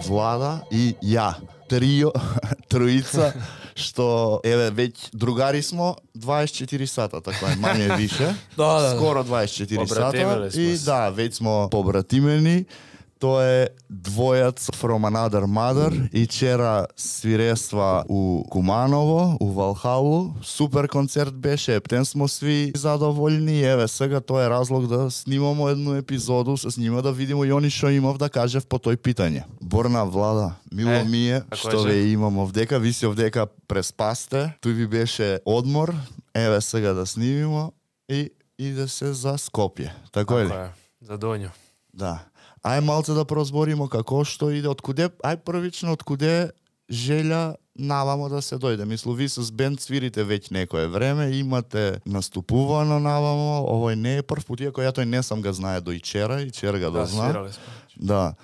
Влада и ја. Троица, што еве веќе другари смо 24 сата, така е, мање више. Да. Скоро 24 сата и се. да, веќе смо побратимени. Тоа е двојац From Another Mother и вчера свирества у Куманово, у Валхалу. Супер концерт беше, ептен смо сви задоволни. Еве сега тоа е разлог да снимамо едну епизоду с нима да видимо и они што имав да кажев по тој питање. Борна, Влада, мило ми е што ве имам овдека, ви си овдека преспасте, тој ви беше одмор, еве сега да снимимо и иде се за Скопје. Тако е ли? За Донју. Да. Ај малце да прозборимо како што иде, откуде, првично откуде желја навамо да се дојде. Мислу, ви с бенд свирите веќе некое време, имате наступувано навамо, овој не е прв пат, иако ја тој не сам га знае до ичера га дозна. свирали сме. Да.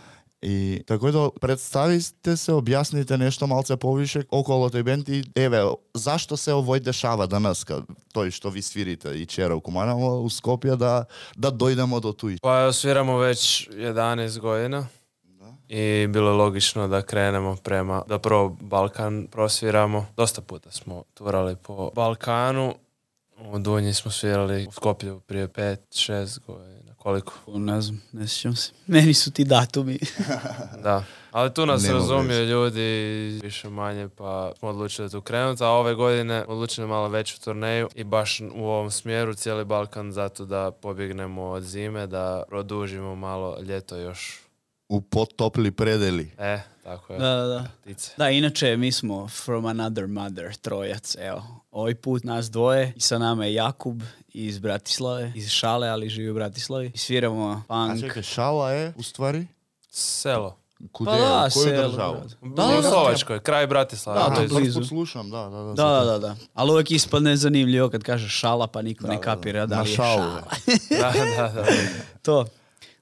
И тако да представите се, објасните нешто малце повише околу тој бенд и еве, зашто се овој дешава данеска, тој што ви свирите и вчера у Куманово, у Скопје, да дојдемо до туј. Па свирamo već 11 godina i bilo je logično da krenemo da prvo Balkan prosviramo. Dosta puta smo turali po Balkanu. U Dunji smo svirali u Skopju prije 5-6 godina. Koliko? Ne znam, ne sjećam se. Meni su ti datumi. Da. Ali tu nas Nema razumiju ljudi više manje, pa smo odlučili tu krenuti, a ove godine odlučili malo veću turneju i baš u ovom smjeru cijeli Balkan zato da pobjegnemo od zime, da produžimo malo ljeto još. U potopli predeli. Tako je. Da. Ptice. Da, inače mi smo From Another Mother, trojac, evo. Ovaj put nas dvoje i sa nama je Jakub iz Bratislave, iz Šale, ali živi u Bratislavi. I sviramo A punk. čekaj, Šala je u stvari? Selo. Kude, Pa da, u koju selo, državu? U Slovačkoj, kraj Bratislava. Da, to Prvi blizu. put slušam, da. Da. Ali uvijek ispadne zanimljivo kad kažeš Šala, pa niko ne kapira da li je Šala. Da. To.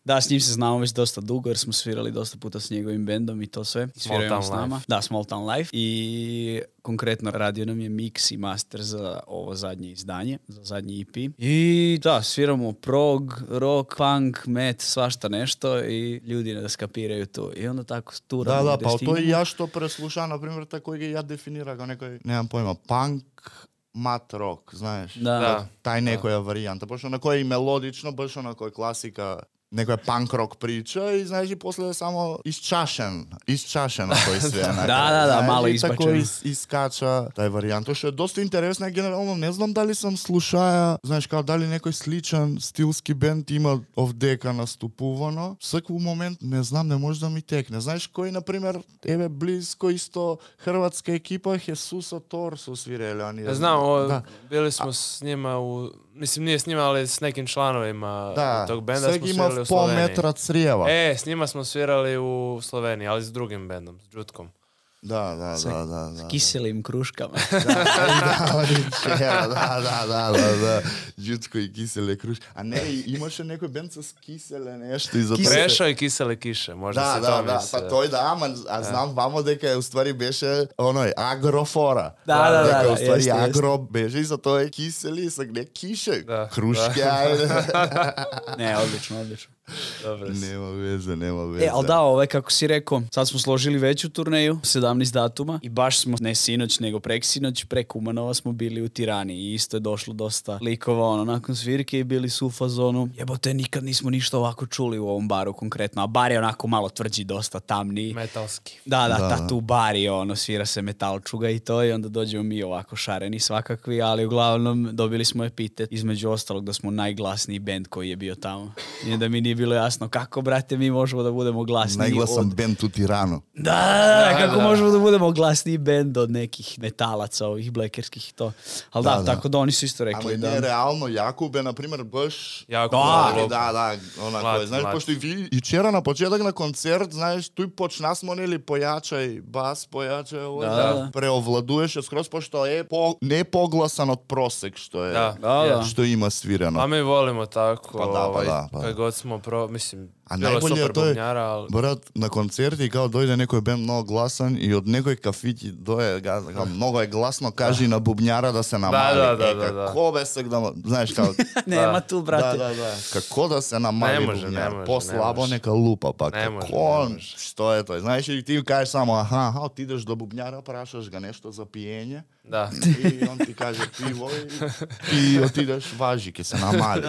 Da, s njim se znamo već dosta dugo jer smo svirali dosta puta s njegovim bendom i to sve. I sviraju s nama. Da, Small Town Life. I konkretno radio nam je mix i master za ovo zadnje izdanje, za zadnji EP. I da, sviramo prog, rock, punk, met, svašta nešto i ljudi ne skapiraju to. I onda tako turamo. Da, pa to i ja što preslušam, na primjer, tako ga ja definira kao nekoj, nemam pojma, punk, mat rock, знаеш. Da. Тај некоја варијанта, пошто на кој е мелодично, баш на кој класика, некоја панк рок прича и знаеш и после само исчашен тој све. Да, мало избачен. Тако искача тај варијант, што е доста интересно, генерално не знам дали сам слушаја, знаеш као дали некој сличен стилски бенд има овдека наступувано. Секој момент не знам, не може да ми текне. Знаеш кој на пример еве близко исто хрватска екипа Хесуса Торсо свиреле они. Znam, bili smo s njima mislim nije s njima, ali s nekim članovima tog benda smo svirali u Sloveniji. Pol metra crijeva. S njima smo svirali u Sloveniji, ali s drugim bendom, s Džutkom. Da. S kiselim kruškama. Da. Džutko i kisele kruške. A ne, imаше некој бенд с киселе нешто изо Прešо и киселе кише, možda se to misli. Па тој а знам вамо дека е уствари беше оној агрофора. Да, дека уствари агро беше и за тоа е кисели, са не кише. Крушке, ајде. Ne, odlično. Dobro. Nema veze. Ali da, kako si rekao, sad smo složili veću turneju, 17 datuma i baš smo, ne sinoć, nego preksinoć, preko Kumanova smo bili u Tirani i isto je došlo dosta likova, nakon svirke i bili su u fazonu, jebote, nikad nismo ništa ovako čuli u ovom baru konkretno, a bar je onako malo tvrđi, dosta tamniji. Metalski. Da, tu bar je svira se metalčuga i to i onda dođemo mi ovako šareni svakakvi, ali uglavnom dobili smo epitet, između ostalog da smo najglasniji bend koji je bio tamo. I da mi nije bilo jasno kako, brate, mi možemo da budemo glasniji. Najglasan bend u Tiranu. Kako možemo da budemo glasniji bend od nekih metalaca, ovih blekerskih i to. Ali tako da oni su isto rekli. Ali ne, realno, Jakub je, na primjer, baš... Jakub, onako, znaš, pošto i vi, i včera na početak na koncert, znaš, tu počna smo neli pojačaj bas, pojačaj ovo, da preovladuješ, skroz pošto je ne poglasan od prosek, što je, što ima svirano. A mi volimo tako, Pa da. kad god smo, mislim, A bilo najbolje super je to je, bubnjara, ali... brat, na koncerti kao dojde nekoj band mnogo glasan i od nekoj kafići doje, kao, mnogo je glasno, kaži na bubnjara da se namali. Da. Kako besek da, znaš kao... Nema tu, brate. Da. Kako da se namali bubnjar? Poslabo neka lupa, pa kako, što je to? Znaš, i ti kažeš samo, aha, ti ideš do bubnjara, prašaš ga nešto za pijenje. Da. I on ti kaže pivo i otideš važi, ke se namali.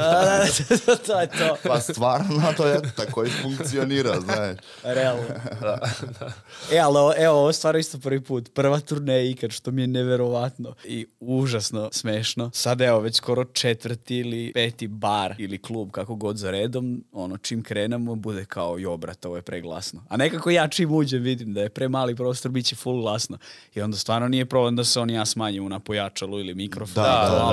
To je to. Pa stvarno to je tako i funkcionira, znaš. Realno. Ali evo, ovo stvarno isto prvi put. Prva turneja ikad, što mi je neverovatno i užasno smešno. Sad evo, već skoro 4. ili 5. bar ili klub, kako god za redom, čim krenemo, bude kao, jo, brate, ovo je preglasno. A nekako ja čim uđem vidim da je premali prostor, bit će full glasno. I onda stvarno nije problem da se ja smanjimo na pojačalu ili mikrofon.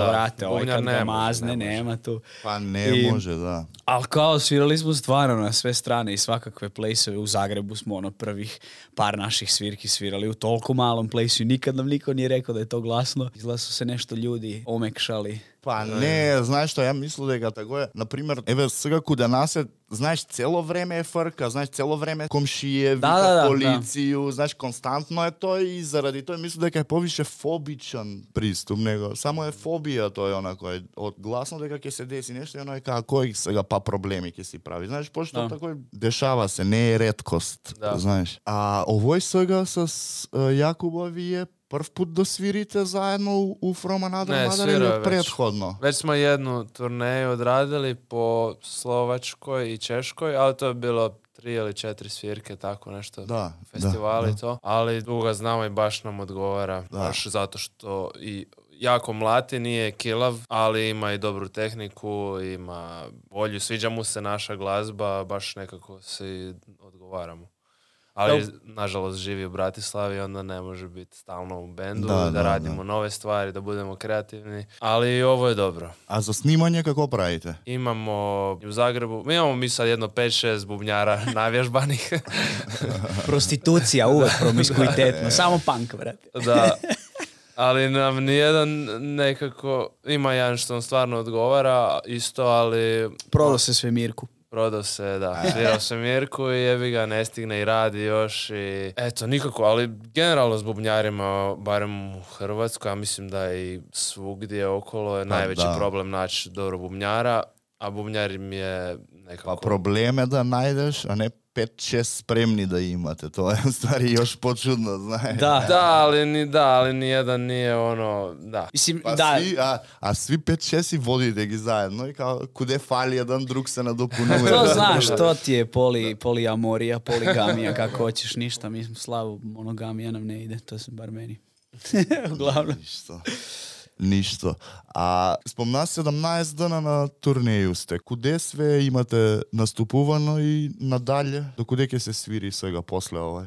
Vrate, ovaj kad ga mazne, nema tu. Pa ne može, da. Ali kao svirali smo stvarno na sve strane i svakakve plejsove. U Zagrebu smo prvih par naših svirki svirali u toliko malom plejsu i nikad nam niko nije rekao da je to glasno. Izgleda su se nešto ljudi omekšali. Pa ne, znaš što, ja mislim da je ga tako je. Naprimjer, evo сега kod nas je, znaš, celo vreme je frka, znaš, celo vreme komšije, vita policiju, znaš, konstantno je to i zaradi to mislim da je poviše fobičan pristup, nego samo je fobija, to je onako, od glasno da ke se desi nešto i ono je kao, koji сега pa problemi ke si pravi, znaš, pošto tako dešava se, ne je retkost, znaš. A ovoj сега с Jakubovi je prv put da svirite zajedno u From Another Mother ili prethodno? Već smo jednu turneju odradili po Slovačkoj i Češkoj, ali to je bilo 3 ili 4 svirke, tako nešto, festivali i to. Ali duga znamo i baš nam odgovara, baš zato što i jako mlati, nije kilav, ali ima i dobru tehniku, ima volju, sviđa mu se naša glazba, baš nekako se odgovaramo. Ali, nažalost, živi u Bratislavi, onda ne može biti stalno u bendu, da radimo nove stvari, da budemo kreativni. Ali ovo je dobro. A za snimanje kako pravite? Imamo u Zagrebu, imamo sad jedno 5-6 bubnjara navježbanih. Prostitucija, uvek promiskuitetno, samo punk, brate. Da. Ali nam nijedan nekako, ima jedan što nam stvarno odgovara, isto, ali... Prodao se Svemirku. Prodao se, svirao se Mirku i jebi ga, ne stigne i radi još i... Eto, nikako, ali generalno s bubnjarima, barem u Hrvatskoj, ja mislim da i svugdje okolo je najveći problem naći dobro bubnjara, a bubnjar im je nekako... Pa probleme da najdeš, a ne 5-6 spremni da imate, to je stvari još počudno, znaš. Ali nijedan nije da. Mislim, pa svi 5-6 vodite gi zajedno i kao kude fali jedan drug se nadopunuje. To znaš, to ti je poliamorija, poligamija, kako hoćeš, ništa, mi smo slavu, monogamija nam ne ide, to sam bar meni. Uglavnom. Ništa. A spomna 17 dana na turneju ste. Kude sve imate nastupuvano i nadalje? Do kude ke se sviri svega posle ovaj?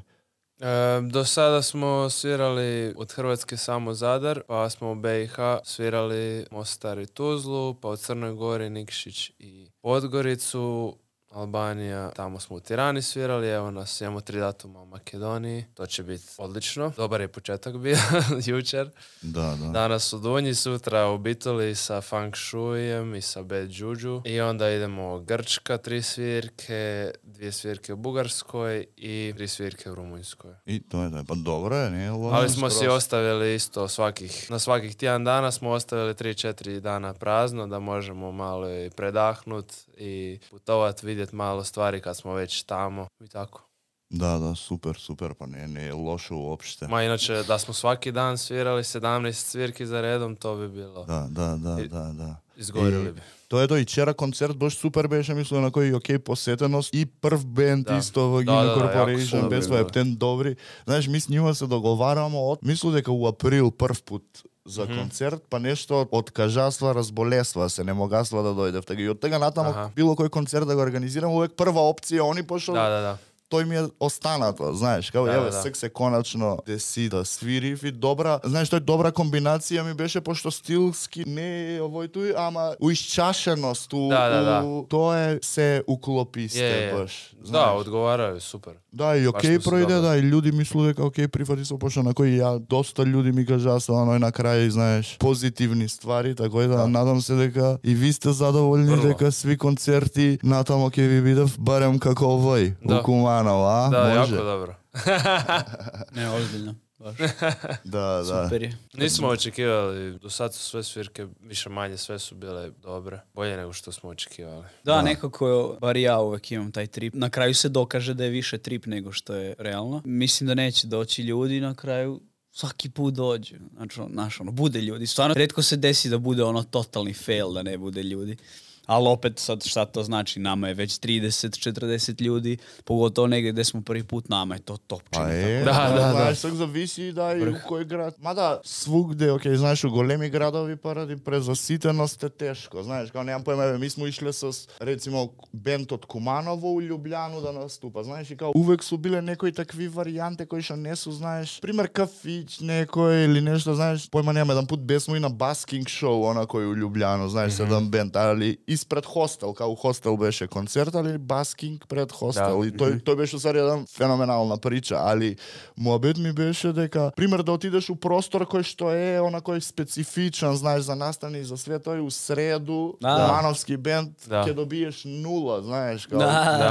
Do sada smo svirali od Hrvatske samo Zadar, pa smo u BiH svirali Mostar i Tuzlu, pa u Crnoj Gori, Nikšić i Podgoricu, Albanija, tamo smo u Tirani svirali, evo nas, imamo 3 datuma u Makedoniji, to će biti odlično. Dobar je početak bio, jučer. Danas u Dunji, sutra u Bitoli sa Feng Shuijem i sa Bad Juju. I onda idemo Grčka, 3 svirke, 2 svirke u Bugarskoj i 3 svirke u Rumunjskoj. I to je, pa dobro je, nije? Ali smo si ostavili isto na svakih tjedan dana smo ostavili 3-4 dana prazno, da možemo malo i predahnut i putovat, vidjeti malo stvari kad smo već tamo i tako. Da, super, pa ne je loše uopšte. Ma inače, da smo svaki dan svirali 17 svirki za redom, to bi bilo... Da. Izgorili bi. To je to i čera koncert, baš super беше, mislim, na koji je posjetenost i prv band isto v Gina Corporation, bez svoje ten dobri. Znaš, mi s njima se dogovaramo mislim дека u april prv put za koncert, pa nešto od kažastva razbolesva se ne mogасва да дојде. И од тега натаму било кој концерт да го организирам, увек прва опција они пошол. Да. той ми е останато, знаеш, као еве сек се конечно деси да свирив и добра, знаеш, тој добра комбинација ми беше пошто стилски не е овој тој, ама уисчашеност, тоа се уклопи сте баш. Да, одговарaju, супер. Да, и окей пројде, да, и луѓе мислуве дека окей прифати се пошто на кој ја доста луѓе ми кажаа со оној на крај, знаеш, позитивни ствари, така да надам се дека и ви сте задоволни дека сви концерти натамо ќе ви бидев барем како овој у Куманово, а? Да, може? јако добро. Не, озбиљно. Да. Супер je. Nismo očekivali, do sad su sve svirke više manje, sve su bile dobre, bolje nego što smo očekivali. Da, nekako, bar ja uvek imam taj trip. Na kraju se dokaže da je više trip nego što je realno. Mislim da neće doći ljudi na kraju. Svaki put dođe. Znači, bude ljudi. Stvarno, retko se desi da bude totalni fail, da ne bude ljudi. Ali opet sad šta to znači, nama je već 30-40 ljudi, pogotovo negdje gdje smo prvi put, nama je to topčina. Da. Svak zavisi da i u koji grad. Mada svugde, znaš, u golemi gradovi paraди презаситеност е тешко. Знаеш, kao nemam pojma, mi smo išli sa, recimo, bend od Kumanovo u Ljubljanu da nastupa. Znaš, i kao uvek su bile nekoj takvi varijante koji što ne su, znaš, primer kafić nekoj ili nešto, znaš, pojma nemam, jedan put besmo i na basking show, onako u Ljubljanu, znaš, sedam bend, ali ispred hostel, kao u hostel беше концерт, ali basking pred hostel. I to беше stvari jedan fenomenalna priča, ali moabet mi беше дека, пример, да отидеш у простор кој што е онакој специфичен, знаеш, за настани, за све тој у среду, Кумановски бенд, ќе добиеш 0, знаеш, као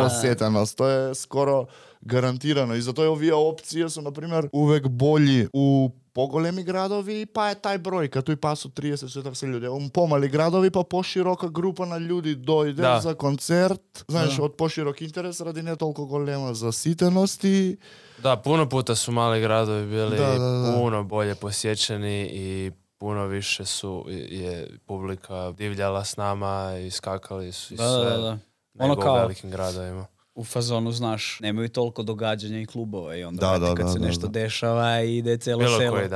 посетеност. Тоа е скоро гарантирано. И затоа овие опции се, например, увек болji у поголеми градови, па е тај бројка, тој па со 30-40 луѓе. У помали градови, па поширока група на луѓе дојде за концерт, знаеш, од поширок интерес ради не толку голема заситеност и... Da, puno puta su mali gradovi bili puno bolje posjećeni i puno više je publika divljala s nama i skakali su i sve nego u velikim gradovima. U fazonu, znaš, nemaju toliko događanja i klubova i onda kad se nešto dešava i ide celo selo.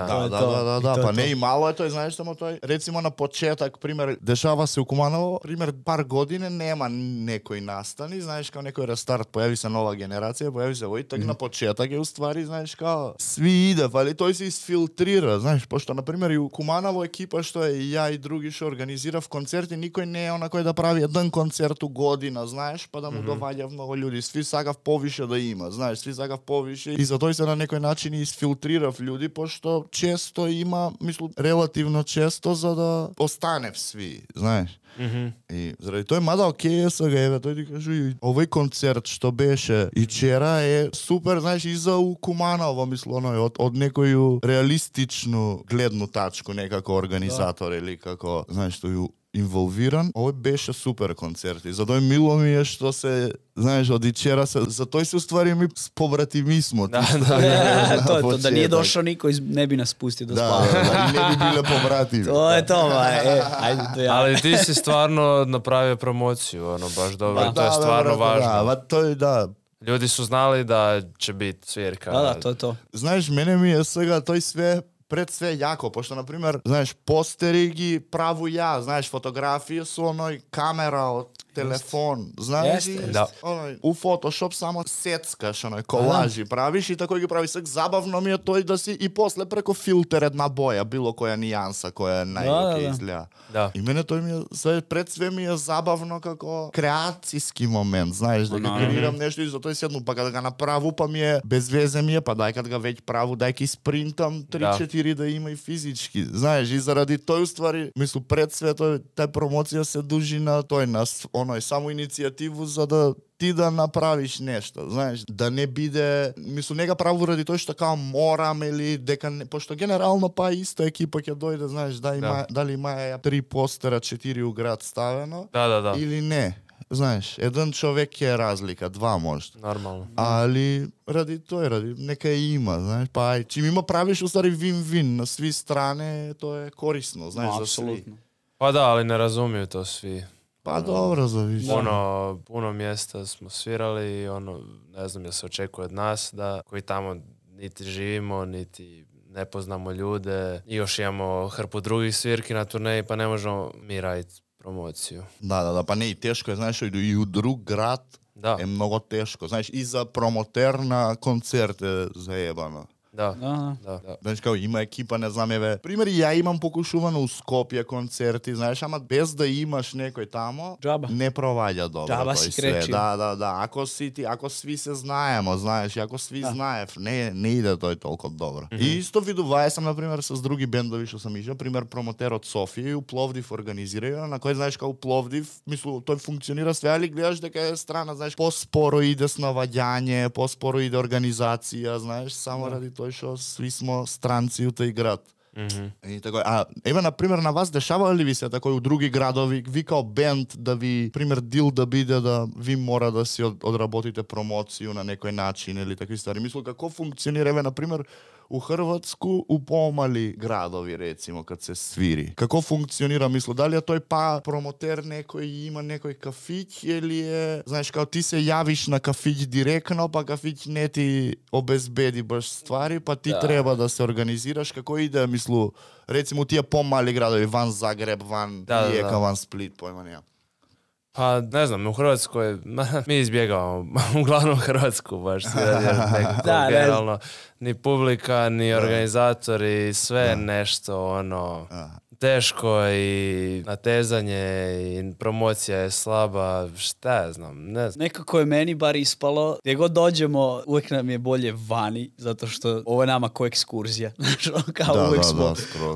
Da, pa ne i malo je to, znaš, samo to je, recimo na početak, primjer, dešava se u Kumanovo, primjer, par godine nema nekoj nastani, znaš, kao nekoj restart, pojavi se nova generacija, pojavi se ovoj, tak na početak je u stvari, znaš, kao svi ide, ali to se isfiltrira, znaš, pošto, na primjer, i u Kumanovo ekipa što je ja i drugi što organizira v koncerti, nikoj ne je onako da pravi jedan koncert u godina, znaš, pa da mu dovalja mnogo ljudi. Svi сакав повише да има, знаеш, сви сакав повише и затоа се на некој начин изфилтрирав луѓе, пошто често има, мислам, релативно често за да останев сви, знаеш. И заради тоа мада окей сега еве тој ти кажу и овој концерт што беше и вчера е супер, знаеш, и за Куманово, мислам, од некој реалистичну гледну тачку некако организатор или како, знаеш, тој инволвиран. Овој беше супер концерт и затоа мило ми е што се, знаеш, од вчера се, затоа се уствари ми побратимисмо. Да, да не е дошол никој, не би нас пустил да спаваме. Да, не би биле побратими. Тоа е тоа, ајде тоа. Ali ti si stvarno napravio promociju, baš dobro, to je stvarno važno. Da. Ljudi su znali da će biti svirka. Da, to je to. Знаеш, мене ми е сега тој све пред све јако, пошто, например, знаеш, постери ги праву ја, знаеш, фотографија со оној камера од телефон, знаеш, у Photoshop само сецкаш, оној колажи правиш и тако ги правиш. Сек забавно ми е тој да си и после преко филтер една боја, било која нијанса, која е најоке изгледа. И мене тој ми е, пред све ми е забавно како креацијски момент, знаеш, да ги креирам нешто и затоа седну, па кога га направу, па ми е без везе ми е, па дај кога веќе праву, дај ки спринтам 3-4 да има и физички. Знаеш, и заради тој уствари, мислу, пред све тај промоција се дужи на тој, на оној само иницијативу за да ти да направиш нешто, знаеш, да не биде, мислу, не га праву ради тој што као морам или дека не, пошто генерално па иста екипа ќе дојде, знаеш, дали има 3 постера, 4 у град ставено, или не. Знаеш, еден човек ќе е разлика, 2 може. Нормално. Али ради нека има, знаеш, па ај, чим има правиш устари вин-вин на сви стране, тоа е корисно, знаеш, за сви. Pa da, ali ne razumiju to svi. Pa dobro, zavisi. Puno mjesta smo svirali i ne znam da se očekuje od nas da koji tamo niti živimo, niti ne poznamo ljude i još imamo hrpu drugih svirki na turneji pa ne možemo mi raditi promociju. Da, pa ne i teško je, znaš, i u drug grad je mnogo teško. Znaš, i za promoter na koncerte zajebano. Da. Znaš, kao ima ekipa, ne znam, primjer, ja imam pokušuvano u Skopje koncerti, znaš, ama bez da imaš nekoj tamo, Džaba. ne provalja dobro. Džaba to si i sve. kreći. Da. Ako svi se znajemo, znaš, ako svi znaje, ne ide to toliko dobro. I isto viduvaju sam, na primjer, s drugi bendovi što sam išao, primjer, promoter od Sofije u Plovdiv organiziraju, na koji, znaš, kao u Plovdiv, mislu, to funkcionira sve, ali gledaš da je strana, znaš, posporo ide snavadjanje, posporo ide organizacija, znaš, samo radi to što svi smo stranci u taj grad. I tako, evo, na primjer, na vas dešava li vi se tako u drugi gradovi, vi kao band, da vi, primjer, deal da bide da vi mora da si odrabotite promociju na nekoj način ili takvi stvari. Mislim, kako funkcionira, evo, na primjer, u Hrvatsku, u pomali gradovi, recimo, kad se sviri. Kako funkcionira, mislo, da li je to pa promoter nekoj ima nekoj kafić ili je, znaš, kao ti se javiš na kafić direktno, pa kafić ne ti obezbedi baš stvari, pa ti treba da se organiziraš. Kako ide, mislu, recimo, ti je pomali gradovi, van Zagreb, van Rijeka, van Split, pojma nema. Pa ne znam, u Hrvatskoj mi izbjegavamo uglavnom Hrvatsku baš nekako generalno. Ni publika, ni organizatori, sve nešto ono teško i natezanje i promocija je slaba, šta ja znam, ne znam. Nekako je meni bar ispalo, gdje god dođemo, uvijek nam je bolje vani, zato što ovo je nama ko ekskurzija. Kao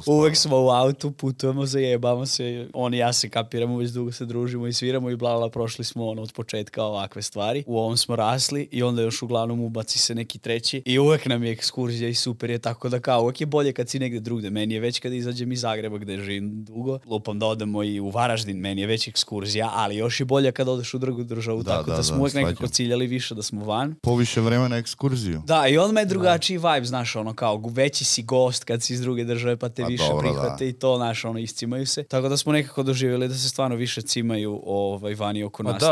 uvijek smo u autu, putujemo, zajebamo se, on i ja se kapiramo, već dugo se družimo i sviramo i bla, prošli smo od početka ovakve stvari. U ovom smo rasli i onda još uglavnom ubaci se neki treći i uvijek nam je ekskurzija i super je, tako da kao uvijek je bolje kad si negdje drugdje. Meni je već kad izađem iz Zagreba gdje živim dugo, lupam da odemo i u Varaždin, meni je već ekskurzija, ali još je bolje kad odeš u drugu državu, tako da smo uvijek nekako ciljali više da smo van. Poviše vremena ekskurziju. Da, i on me je drugačiji vibe, znaš, ono kao veći si gost kad si iz druge države pa te više prihvate i to, znaš, ono, iscimaju se. Tako da smo nekako doživjeli da se stvarno više cimaju vani oko nas.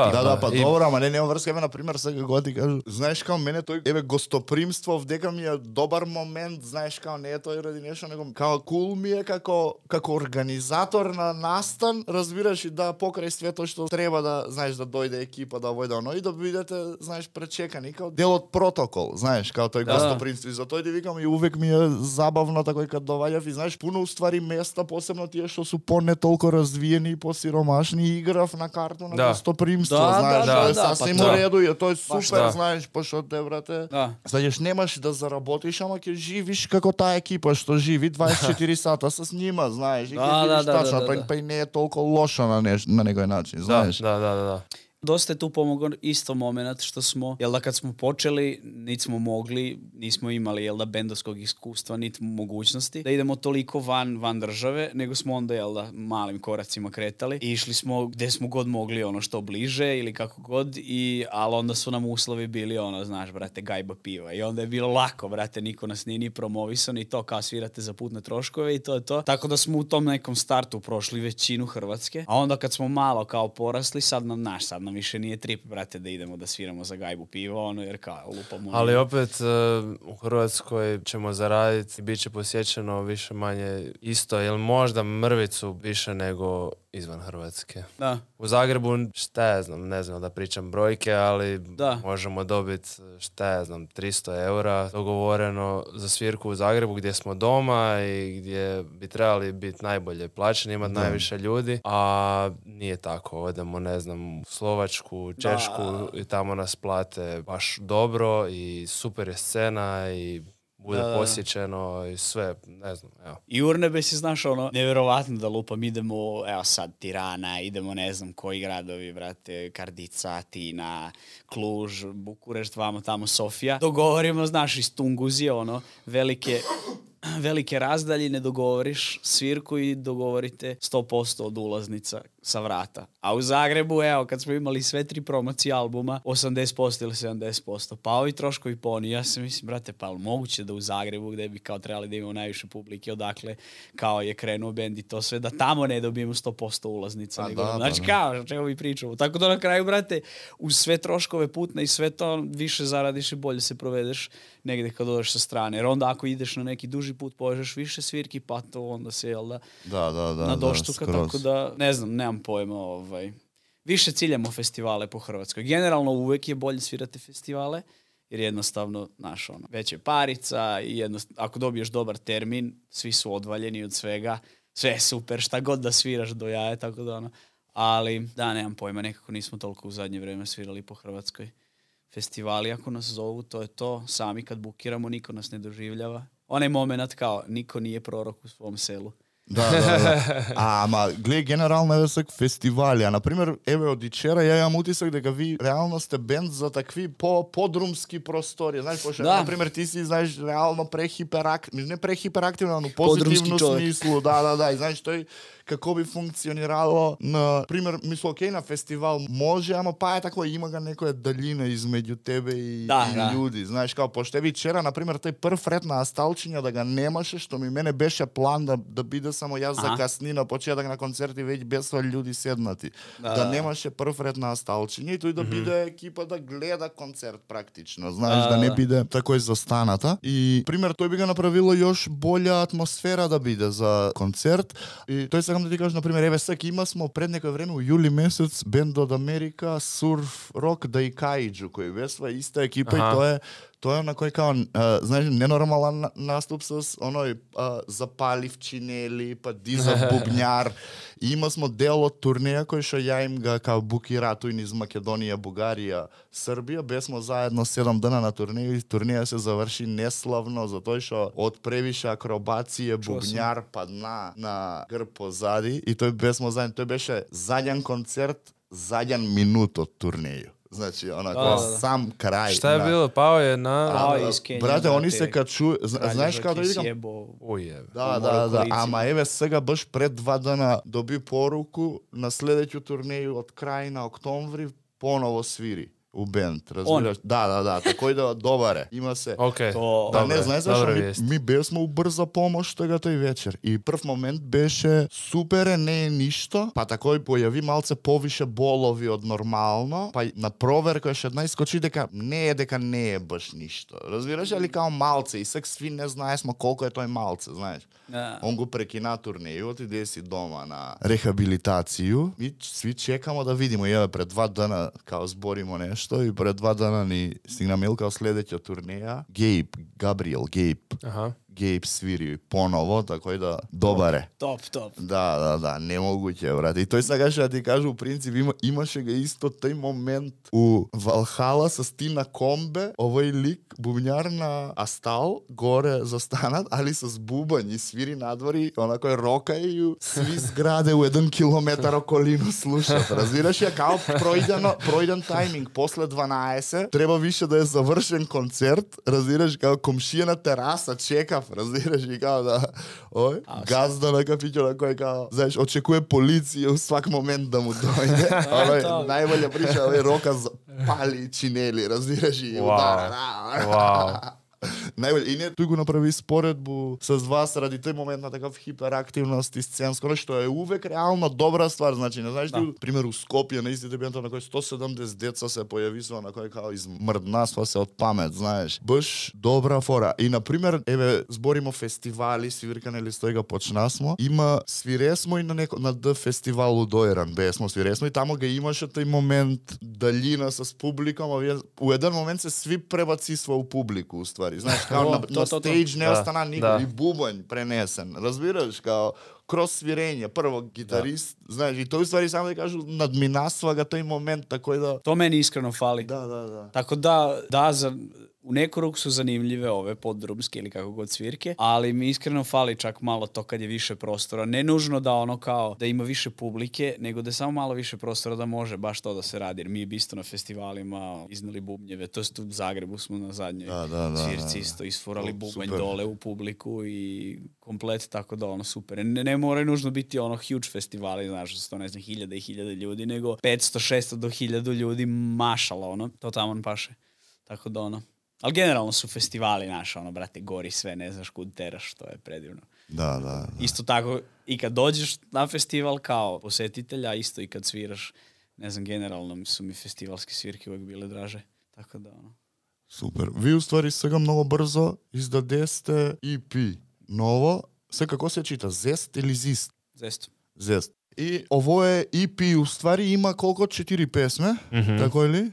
Pa dobro, ma nema vrska, na primjer, svega godi kažu, znaš, kao mene to je gostoprimstvo, vdeka mi je dobar moment, znaš, kao ne je to radi nešto, nego kao cool mi je kako organizator na nastan, razbiraš i da pokraj sve to što treba da, znaš, da dojde ekipa, da vojde ono i da budete, znaš, prečekani kao del od protokol, znaš, kao to je gostoprimstvo i zato vikam i uvijek mi je zabavno tako i kad dovaljav i znaš, puno u stvari mjesta, posebno tije što su ne toliko razvijeni i posiromašni, igrav na kartu na gostoprimstvo, znaš, sasvim u redu je, to je super, znaš, pošto te, brate, znaš, nemaš da zarabotiš, ama kje živiš kako ta ekipa što živi 24 sata sa s njima, znaš, i kje živiš tačno, pa i ne je toliko loša na nekoj način, znaš. Da. Dosta je tu pomogao isto moment što smo, jel da kad smo počeli, nismo imali, jel da, bendovskog iskustva, niti mogućnosti da idemo toliko van države, nego smo onda, jel da, malim koracima kretali i išli smo gdje smo god mogli, ono, što bliže ili kako god, ali onda su nam uslovi bili, ono, znaš, brate, gajba piva i onda je bilo lako, brate, niko nas nije ni promovisao ni to, kao svirate za putne troškove i to je to. Tako da smo u tom nekom startu prošli većinu Hrvatske, a onda kad smo malo kao porasli, sad nam više nije trip, brate, da idemo da sviramo za gajbu pivo, ono, jer kao lupamo. Ali opet u Hrvatskoj ćemo zaraditi i bit će posjećeno više manje isto, ili možda mrvicu više nego izvan Hrvatske. Da. U Zagrebu, šta ja znam, ne znam da pričam brojke, ali možemo dobiti, šta ja znam, 300 eura dogovoreno za svirku u Zagrebu gdje smo doma i gdje bi trebali biti najbolje plaćeni, imati najviše ljudi, a nije tako. Odemo, ne znam, u Slovačku, Češku i tamo nas plate baš dobro i super je scena i bude posjećeno i sve, ne znam, evo. I Urnebes je, znaš, ono, nevjerovatno da lupam, idemo, evo sad, Tirana, idemo, ne znam, koji gradovi, brate, Kardica, Atina, Kluž, Bukurešt, vamo tamo, Sofija. Dogovorimo, znaš, iz Tunguzije, ono, velike razdaljine, dogovoriš svirku i dogovorite 100% od ulaznica sa vrata. A u Zagrebu, evo, kad smo imali sve 3 promocije albuma, 80% ili 70%. Pa ovi troškovi poni. Ja se mislim, brate, pa moguće da u Zagrebu, gdje bi kao trebali da imamo najviše publike, odakle kao je krenuo bend i to sve, da tamo ne dobijemo 100% ulaznica. Znači, kao, čego mi pričamo. Tako da na kraju, brate, uz sve troškove putne i sve to, više zaradiš i bolje se provedeš negdje kad odeš sa strane. Jer onda ako ideš na neki duži put, poježeš više svirki, pa to onda se, jel da, da na doštuka, tako da, ne znam, nemam pojma, više ciljamo festivale po Hrvatskoj. Generalno uvek je bolje svirati festivale, jer jednostavno, znaš, ono, već je parica i ako dobiješ dobar termin, svi su odvaljeni od svega, sve je super, šta god da sviraš do jaja, tako da ono. Ali, da, nemam pojma, nekako nismo toliko u zadnje vrijeme svirali po Hrvatskoj. Festivali, ako nas zovu, to je to. Sami kad bukiramo, niko nas ne doživljava. Onaj moment kao, niko nije prorok u svom selu. Da. Gled, generalno je vsak festivali. Например, od Ичера ја имам утисак дека ви реално сте бенд за такви подрумски простори. Знаеш, пошто, например, ти си, знаеш, реално не прехиперактивно, но позитивно смислу. Да. И знаеш, тој како би функционирало, например, мисло, окей, на фестивал може, ама па е тако, има га некоја далина измеѓу тебе и луѓи. Знаеш, као, пошто ви Ичера, например, тој прв ред на Асталчиња да га немаше, што ми мене беше план да биде само јас закасни на почеток на концерти, веќе бесва луѓи седнати. Да немаше прв ред на Асталчиња и тој да биде екипа да гледа концерт практично, знаеш, да не биде такој застаната. И, пример, тој би га направило још болја атмосфера да биде за концерт. И тој сакам да ти кажам, например, еве сега има смо пред некој време, у јули месец, бенд од Америка, Surf Rock Daikaiju, кој бесва иста екипа и тоа е на кој као, знаеш, ненормален наступ с оној запалив чинели, па дизав бубњар. И има смо дел од турнеја кој што ја им га као букирато низ Македонија, Бугарија, Србија. Бесмо заедно 7 дена на турнеја и турнеја се заврши неславно затоа што од превише акробација бубњар падна на грб позади и тој бесмо заедно. Тој беше заден концерт, заден минут од турнеја. Значи, сам крај. Šta je bilo? Pao je na... Брате, они се качу... Знаеш како да видам? Да. Ама еве сега баш пред 2 дена доби поруку на следеќу турнеју од крај на октомври поново свири у бенд, разбираш? Да, такој да добаре. Има се. Да, не знаеш зашто ми бевме у брза помош тега тој вечер. И прв момент беше супер, не е ништо, па такој појави малце повише болови од нормално, па на проверка еш една искочи дека не е баш ништо. Разбираш, али као малце и сек сви не знаесмо колку е тој малце, знаеш. Он го прекина турнејот и иде си дома на рехабилитацију и сви чекамо да видиме. Еве пред 2 дена као зборимо нешто и пред 2 дена ни стигна мејл као следеќа турнеја. Габриел Гейб свири поново, такој да добаре. Топ. Да, немогуќе, брат. И тој сакаше да ти кажу, у принцип, имаше га исто тој момент у Валхала со Стина Комбе, овој лик, бубњар на Астал, горе застанат, али с бубањ и свири надвори, онакој рока и сви зграде у 1 километар околину слушат. Разбираш ја, као пројден тајминг, после 12, треба више да е завршен концерт, разбираш, као комшија на тераса чека, разбираш, и као да газда на кафиќо на кој као, знаеш, очекува полиција у свак момент да му дојде. Најболја прича, рока пали чинели, разбираш, и удара. Најболje. И не тој го направи споредбу с вас ради тој момент на такав хиперактивност и сценско, што е увек реално добра ствар. Значи, не знаеш, пример у Скопје на истите бенда на кој 170 деца се појависува, на кој као измрднасва се од памет, знаеш. Баш добра фора. И на пример, еве зборимо фестивали, свиркане или стојга почнасмо. Има свиресмо и на Д фестивал у Дојран, бесмо свиресмо и тамо га имаше тој момент далина с публиком, а у еден момент се сви пребацисва у публику, уствари. Знаеш, као на стейдж не остана никој, и бубањ пренесен, разбираш, као крос свирење, прво гитарист, знаеш, и тој ствари само да кажу, надминасва га тој момент, тако да... То мени искрено фали. Да. Tako da, u neku ruku su zanimljive ove poddrumske ili kako god svirke, ali mi iskreno fali čak malo to kad je više prostora. Ne nužno da ono kao da ima više publike, nego da je samo malo više prostora da može baš to da se radi. Jer mi bi isto na festivalima iznali bubnjeve, to jest u Zagrebu smo na zadnjoj svirci isto isfurali bubanj dole u publiku i komplet, tako da ono super. Ne moraju nužno biti ono huge festivali, znaš, to ne znam, 1000 i 1000 ljudi, nego 500, 600 do 1000 ljudi mašala, ono, to tamo paše. Tako da ono. Ali generalno su festivali naša, ono, brate, gori sve, ne znaš kud teraš, to je predivno. Da. Isto tako, i kad dođeš na festival kao posetitelja, isto i kad sviraš, ne znam, generalno su mi festivalske svirke uvek bile draže. Tako da, ono. Супер. Ви уствари сега многу брзо издадесте EP ново. Се како се чита? Зест или Зист? Zest. Зест. И ово е EP, уствари има колко 4 песме, тако ли?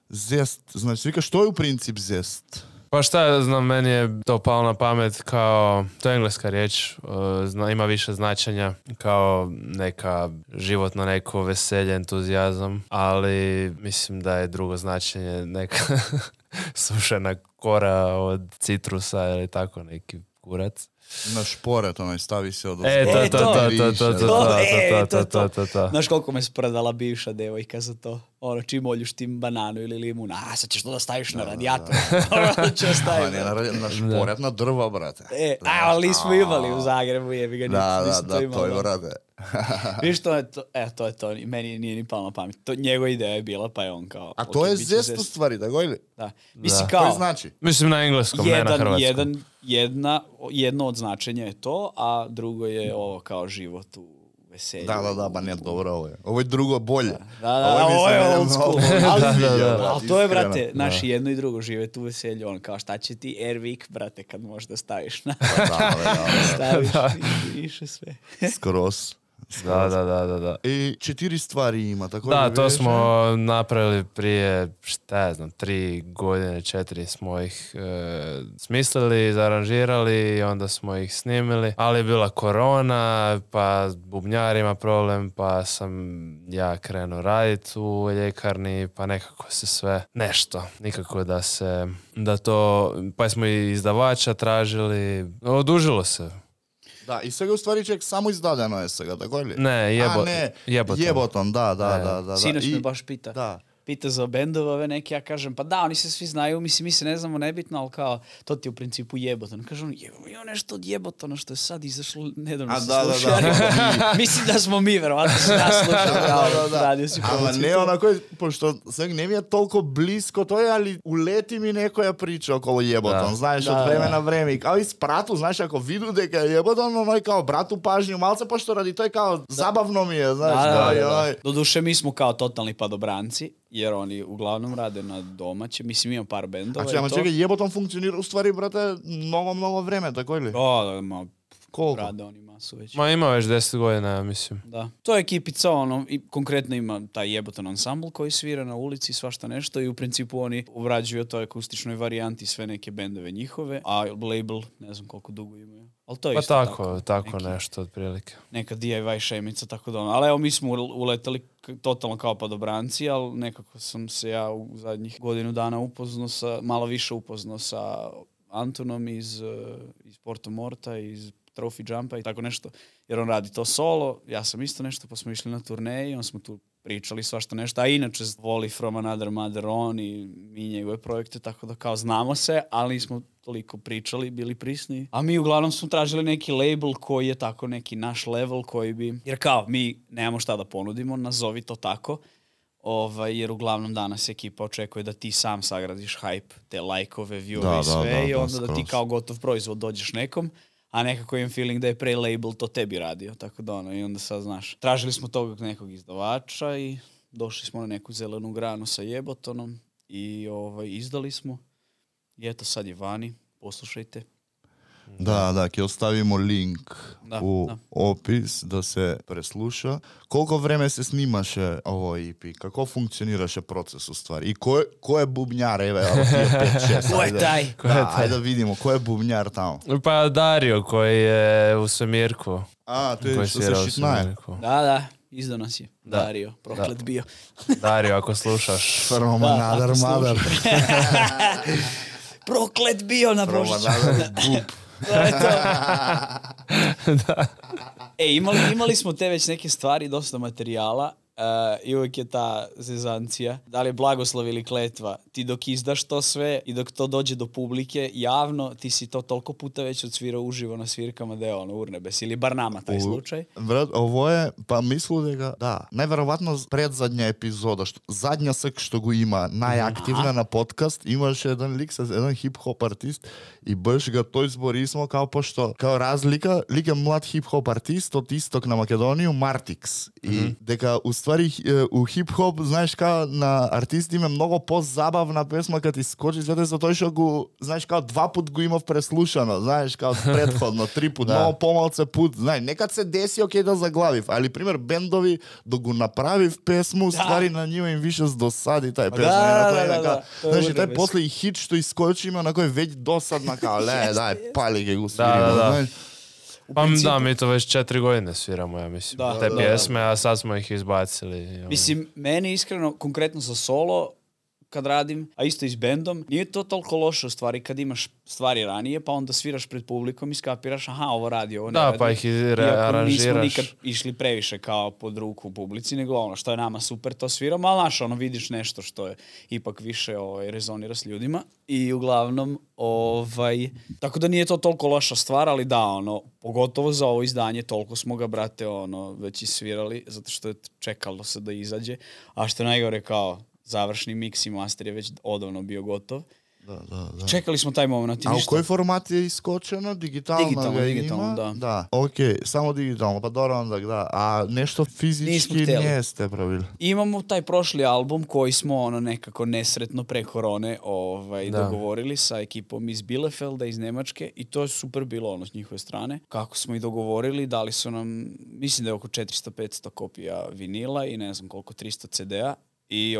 Zest, znači vika što je u princip zest? Pa šta ja znam, meni je to palo na pamet kao, to je engleska riječ, ima više značenja kao neka životno neko veselje, entuzijazam, ali mislim da je drugo značenje neka sušena kora od citrusa ili tako neki kurac. Na šporet, onaj stavi se od to. Znaš koliko me spredala bivša devojka za to? Ono, čim oljuš tim bananu ili limun, sad ćeš to da staviš na radijator. Na šporet, na drva, brate. Ali nismo imali u Zagrebu, jebi ga, nismo to imali. Da, to je, brate. Viš, to je to, meni nije ni palo na pamet. Njegova ideja je bila, pa je on kao... A to je zest u stvari, da gojili? Da. Mislim kao... To znači? Mislim na engleskom, ne na hrvatskom. Jedno od značenja je to, a drugo je ovo kao život u veselju. Da, ba ne, dobro ovo je. Ovo je drugo bolje. Ovo je old school. Ali to je, brate, naši jedno i drugo živeti u veselju. On kao, šta će ti Airwick, brate, kad možda staviš na... Staviš i više sve. Skroz. Da. I 4 stvari ima, tako da, to smo napravili prije, šta ja znam, 3 godine, 4 smo ih smislili, zaranžirali i onda smo ih snimili, ali je bila korona, pa bubnjar ima problem, pa sam ja krenuo raditi u ljekarni, pa nekako se sve nešto, nikako da to, pa smo i izdavača tražili, odužilo se. Da, i сега u stvari ček samo izdadeno je сега, tako li? Ne, Jeboton, da. Sinoć me baš pita. Da. Pita za bendove ove neke, ja kažem, pa da, oni se svi znaju, mislim, mi se ne znamo nebitno, ali kao, to ti je u principu Jeboton. Kažem, ima nešto od Jebotona što je sad izašlo, nedavno se slušao. Mislim da smo mi, verovatno se nas slušali, radio si promociju. Ali ne onako, pošto сега ne mi je toliko blisko, to je, ali uleti mi nekoja priča okolo Jeboton, znaš, od vremena na vreme. Kao i s pratu, znaš, ako vidu deka je Jeboton, ono je kao bratu pažnju, malce, pošto radi to je kao zabavno mi je, znaš. Doduše, mi smo kao totalni padobranci, jer oni uglavnom rade na domaće. Mislim, imam par bendova. A čekaj, Jeboton funkcionira u stvari, brate, mnogo vreme, tako ili? Da, koliko? Rade oni masu već. Ma ima već 10 godina, mislim. Da. To je ekipica, ono, i konkretno ima taj Jeboton ansambl koji svira na ulici, svašta nešto i u principu oni obrađuju toj akustičnoj varijanti sve neke bendove njihove, a label, ne znam koliko dugo imaju. Ali to je isto tako nešto otprilike. Neka DIY šemica, tako da ono. Ali evo, mi smo uletali totalno kao padobranci, ali nekako sam se ja u zadnjih godinu dana malo više upoznao sa Antonom iz Porto Morta, iz Trophy Jumpa i tako nešto. Jer on radi to solo, ja sam isto nešto, pa smo išli na turneji, on smo tu pričali svašta nešto, a inače voli From Another Mother on i mi njegove projekte, tako da kao znamo se, ali nismo toliko pričali, bili prisni. A mi uglavnom smo tražili neki label koji je tako neki naš level koji bi... Jer kao, mi nemamo šta da ponudimo, nazovi to tako, jer uglavnom danas ekipa očekuje da ti sam sagradiš hype, te lajkove, viewove i sve, i onda da ti kao gotov proizvod dođeš nekom, a nekako imam feeling da je pre label to tebi radio, tako da ono, i onda sad znaš. Tražili smo tog nekog izdavača i došli smo na neku zelenu granu sa Jebotonom i izdali smo. I eto, sad je vani, poslušajte. Da, ki ostavimo link u opis da se presluša. Koliko vreme se snimaše ovo EP? Kako funkcioniraše proces u stvari? I ko je bubnjar? Evo, 5-6. Ko je taj? Ajde vidimo, ko je bubnjar tamo? Pa Dario koji je u svemirku. A, to je što se šitnaje. Da, izdao nas je. Dario, proklet bio. Dario, ako slušaš. From Another Mother. Proklet bio na Božiću. Imali smo te već neke stvari, dosta materijala i uvijek je ta zezancija. Da li je blagoslov ili kletva? Ti dok izdaš to sve i dok to dođe do publike javno, ti si to toliko puta već odsvirao uživo na svirkama da je ono urnebes. Ili bar nama taj slučaj. Brat, ovo je, pa mislu da, najverovatno predzadnja epizoda, zadnja sek što go ima najaktivna na podcast, imaš jedan lik, jedan hip-hop artist i baš ga to izborismo kao pošto, kao razlika, lik je mlad hip-hop artist od istok na Makedoniju, Martix. I deka u stvari ствари у хип-хоп, знаеш као на артисти има многу позабавна песма кога ти скочи свете за тој што го, знаеш као 2 пат го имав преслушано, знаеш као претходно 3 пат, многу помалце пут, знаеш, некад се деси окей да заглавив, али пример бендови да го направив песму, ствари на нива им више досади тај песма. Знаеш, тај после и хит што искочи има на кој веќе досадна као дај пали ке го свириме, знаеш. Pa da, mi to već 4 godine sviramo, ja mislim. Te pjesme, a sad smo ih izbacili. Mislim, meni iskreno, konkretno za solo, kad radim, a isto i s bendom, nije to toliko loše u stvari kad imaš stvari ranije, pa onda sviraš pred publikom i skapiraš, aha, ovo radi, ovo ne radi. Da, pa ih aranžiraš. Iako nismo nikad išli previše kao pod ruku u publici, nego ono što je nama super, to sviramo, ali znaš, ono, vidiš nešto što je ipak više rezonira s ljudima. I uglavnom, tako da nije to toliko loša stvar, ali da, ono, pogotovo za ovo izdanje, toliko smo ga, brate, ono, već isvirali, zato što je čekalo se da izađe, a što je najgore kao, završni mix i master je već odavno bio gotov. Da. Čekali smo taj moment. A u koji format je iskočeno? Digitalno, da. Okej, samo digitalno, pa dobro onda, da. A nešto fizički niste pravili? Imamo taj prošli album koji smo nekako nesretno pre korone dogovorili sa ekipom iz Bielefelda, iz Nemačke, i to je super bilo s njihove strane. Kako smo i dogovorili, dali su nam, mislim da je oko 400-500 kopija vinila i ne znam koliko, 300 CD-a. I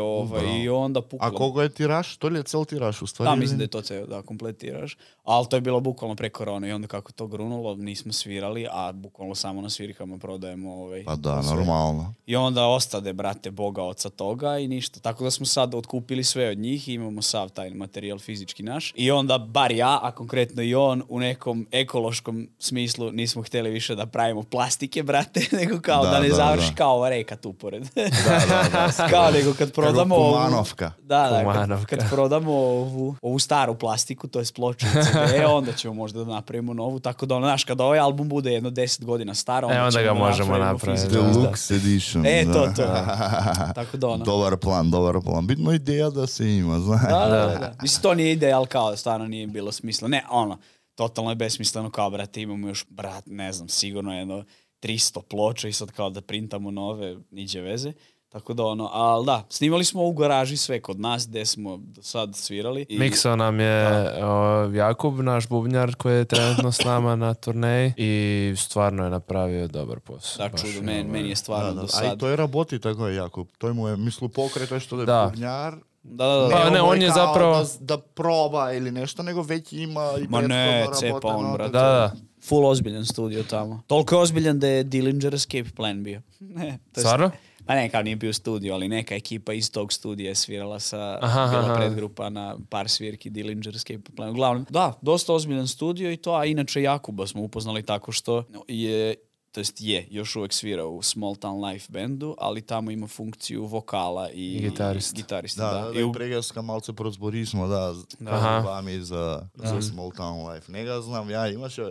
onda puklo. A koliko je tiraž? To li je cel tiraž u stvari? Da, mislim da je to cel, da, komplet tiraž. Ali to je bilo bukvalno pre korone i onda kako to grunulo, nismo svirali, a bukvalno samo na svirkama prodajemo Pa da, normalno. I onda ostade, brate, Boga oca toga i ništa. Tako da smo sad otkupili sve od njih i imamo sav taj materijal fizički naš. I onda, bar ja, a konkretno i on, u nekom ekološkom smislu nismo htjeli više da pravimo plastike, brate, nego kao da ne završi kao ova reka tu pored. Da. Kao nego kad prodamo Kumanovka. Kad prodamo ovu staru plastiku, to je pločice, onda ćemo možda da napravimo novu, tako da znaš, kada ovaj album bude jedno 10 godina star, onda ga možemo napraviti. Deluxe edition. To. Tako da Dobar plan. Bitno ideja da se ima, znaš. Da. Mislim, to nije ideja, ali kao stvarno nije bilo smisla. Ne, totalno je besmisleno kao, brate, imamo još, ne znam, sigurno jedno 300 ploča i sad kao da printamo nove, niđe veze. Tako da ali da, snimali smo u garaži sve kod nas gde smo do sad svirali. Miksao nam je Jakub, naš bubnjar koji je trenutno s nama na turneji i stvarno je napravio dobar posao. Da, čudo, meni je stvarno do sad. A i to je raboti tako je Jakub, to mu je mislu pokreta što je bubnjar. Da. Pa ne, on je zapravo da proba ili nešto, nego već ima i ma ne, cepa on, brate. Da. Full ozbiljan studio tamo. Toliko je ozbiljan da je Dillinger Escape Plan bio. Stvarno? Pa ne, kao nije bio studio, ali neka ekipa iz tog studija je svirala bila predgrupa na par svirki Dillinger Escape Plan. Uglavnom, da, dosta ozbiljan studio i to, a inače Jakuba smo upoznali tako što je još uvek svira u Small Town Life bandu, ali tamo ima funkciju vokala i gitarista. Da, i pregaska malce prozborismo, vami za Small Town Life. Njega znam,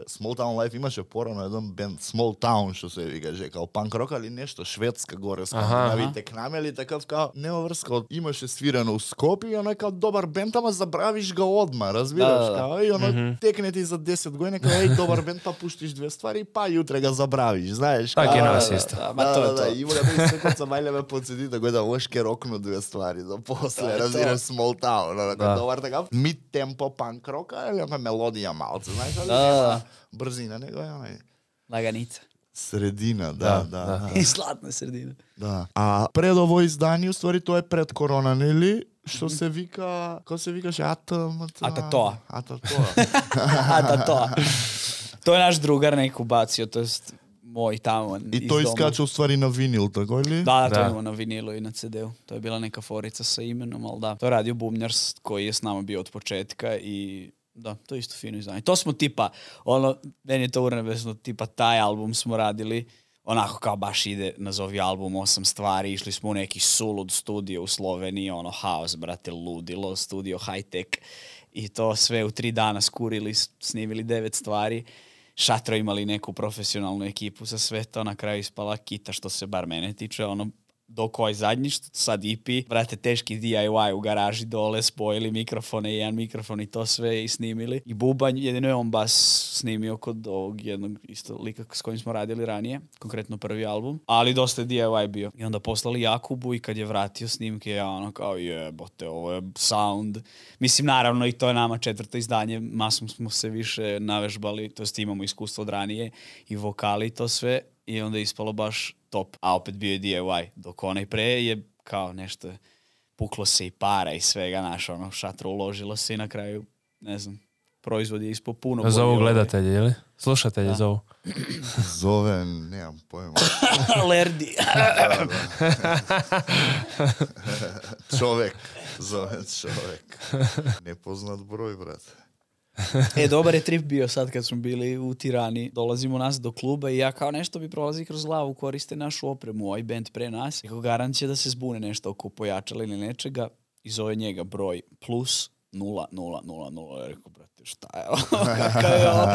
Small Town Life imаше porano jedan band, Small Town, što se vi kaže, kao punk rock, ali nešto švedska gore, skandinavite k nam, ali takav kao neovrska, imаше svirano u Skopju i ono je kao dobar band, ama zabraviš ga odmah, razviraš, kao i ono tekne ti za 10 godina, kao dobar band, pa puštiš 2 stvari, pa jutre ga zabraviš. Znaš, tako je nas isto. Da, ima ga da se kod sam valjave podsjeti tako da oške roknu 2 stvari za posle, razviraš Small Town, dobar takav mid-tempo punk rocka ili ona melodija malce, znaš, ali nema brzina, nego je onaj laganica. Sredina, da. I zlatna sredina. Da. A pred ovo izdanje, u stvari, to je pred korona, ili? Što se vika, kako se vikaše, Atatoa. Atatoa. To je naš drugar neku bacio, to jest moj tamo iz doma. I to iskače u stvari na vinil, tako ili? Da, to imamo na vinilu i na CD-u. To je bila neka forica sa imenom, ali da. To je radio bubnjar koji je s nama bio od početka i da, to je isto fino izdanje. To smo tipa, meni je to urnebesno, tipa taj album smo radili, onako kao baš ide, nazovi album 8 stvari, išli smo u neki sulud studio u Sloveniji, haos, brate, ludilo, studio high-tech i to sve u 3 dana skurili, snimili 9 stvari. Šatro imali neku profesionalnu ekipu za sve to, na kraju ispala kita što se bar mene tiče, dok ovaj zadnji što sad EP, vrate, teški DIY u garaži dole, spojili mikrofone, jedan mikrofon i to sve i snimili. I bubanj, jedino je on bas snimio kod ovog jednog isto lika s kojim smo radili ranije, konkretno prvi album, ali dosta je DIY bio. I onda poslali Jakubu i kad je vratio snimke, ja ono kao jebote, ovo je sound. Mislim, naravno i to je nama 4. izdanje, masom smo se više navežbali, to jest imamo iskustvo od ranije i vokali i to sve i onda je ispalo baš top, a opet bio je DIY, dok onaj pre je kao nešto, puklo se i para i svega, naš ono, šatro uložilo se i na kraju, ne znam, proizvod je ispod puno. Zovu gledatelji, ili? Slušatelji zovu. Zove, nemam pojma. Lerdi. Čovek, zove čovek. Nepoznat broj, brate. Dobar je trip bio sad kad smo bili u Tirani. Dolazimo nas do kluba i ja kao nešto bi prolazi kroz glavu, koriste našu opremu, ovaj band pre nas. Eko garant će da se zbune nešto oko pojačala ili nečega i zove njega broj plus 0000. Ja rekao, brate, šta je ovo? Kakav je ovo?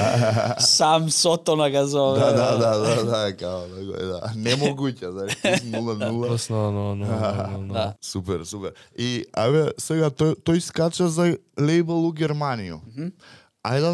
Sam Sotona ga zove. Da, kao, da. Nemoguće, znaš, plus 00. Da. Super. I, ajde, сега, той скача за лейбъл у Германiju. Ajde,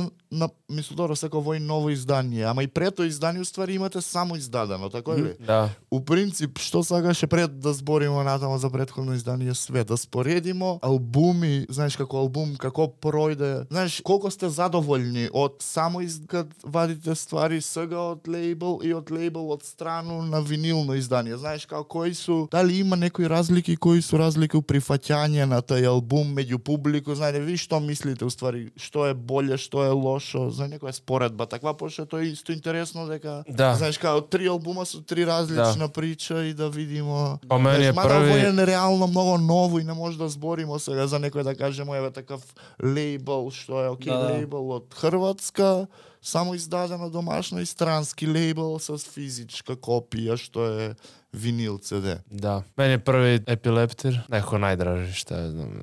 мисло, dobro, сега ovo je novo izdanje, ама и прето издание, у ствари, имате само издадено, тако ли? Да. У принцип, што сакаше пред да збориме натаму за претходно издание све, да споредимо албуми, знаеш како албум, како пројде, знаеш колко сте задоволни од само кад вадите ствари сега од лейбл и од лейбл од страну на винилно издание, знаеш како кои су, дали има некои разлики, кои су разлики у прифаќање на тај албум меѓу публику, знаете, ви што мислите уствари, што е боле, што е лошо, за некоја споредба, таква, пошто тоа е исто интересно дека, знаеш, као 3 албума су 3 различна прича и да видимо. По мене е први. први е нереално многу ново и не може да збориме сега за некој да кажеме еве такав лейбл што е лейбл од Хрватска, само издадено домашно и странски лейбл с физичка копија што е винил CD. Da. Meni je prvi Epileptir, neko najdraži, šta ja znam,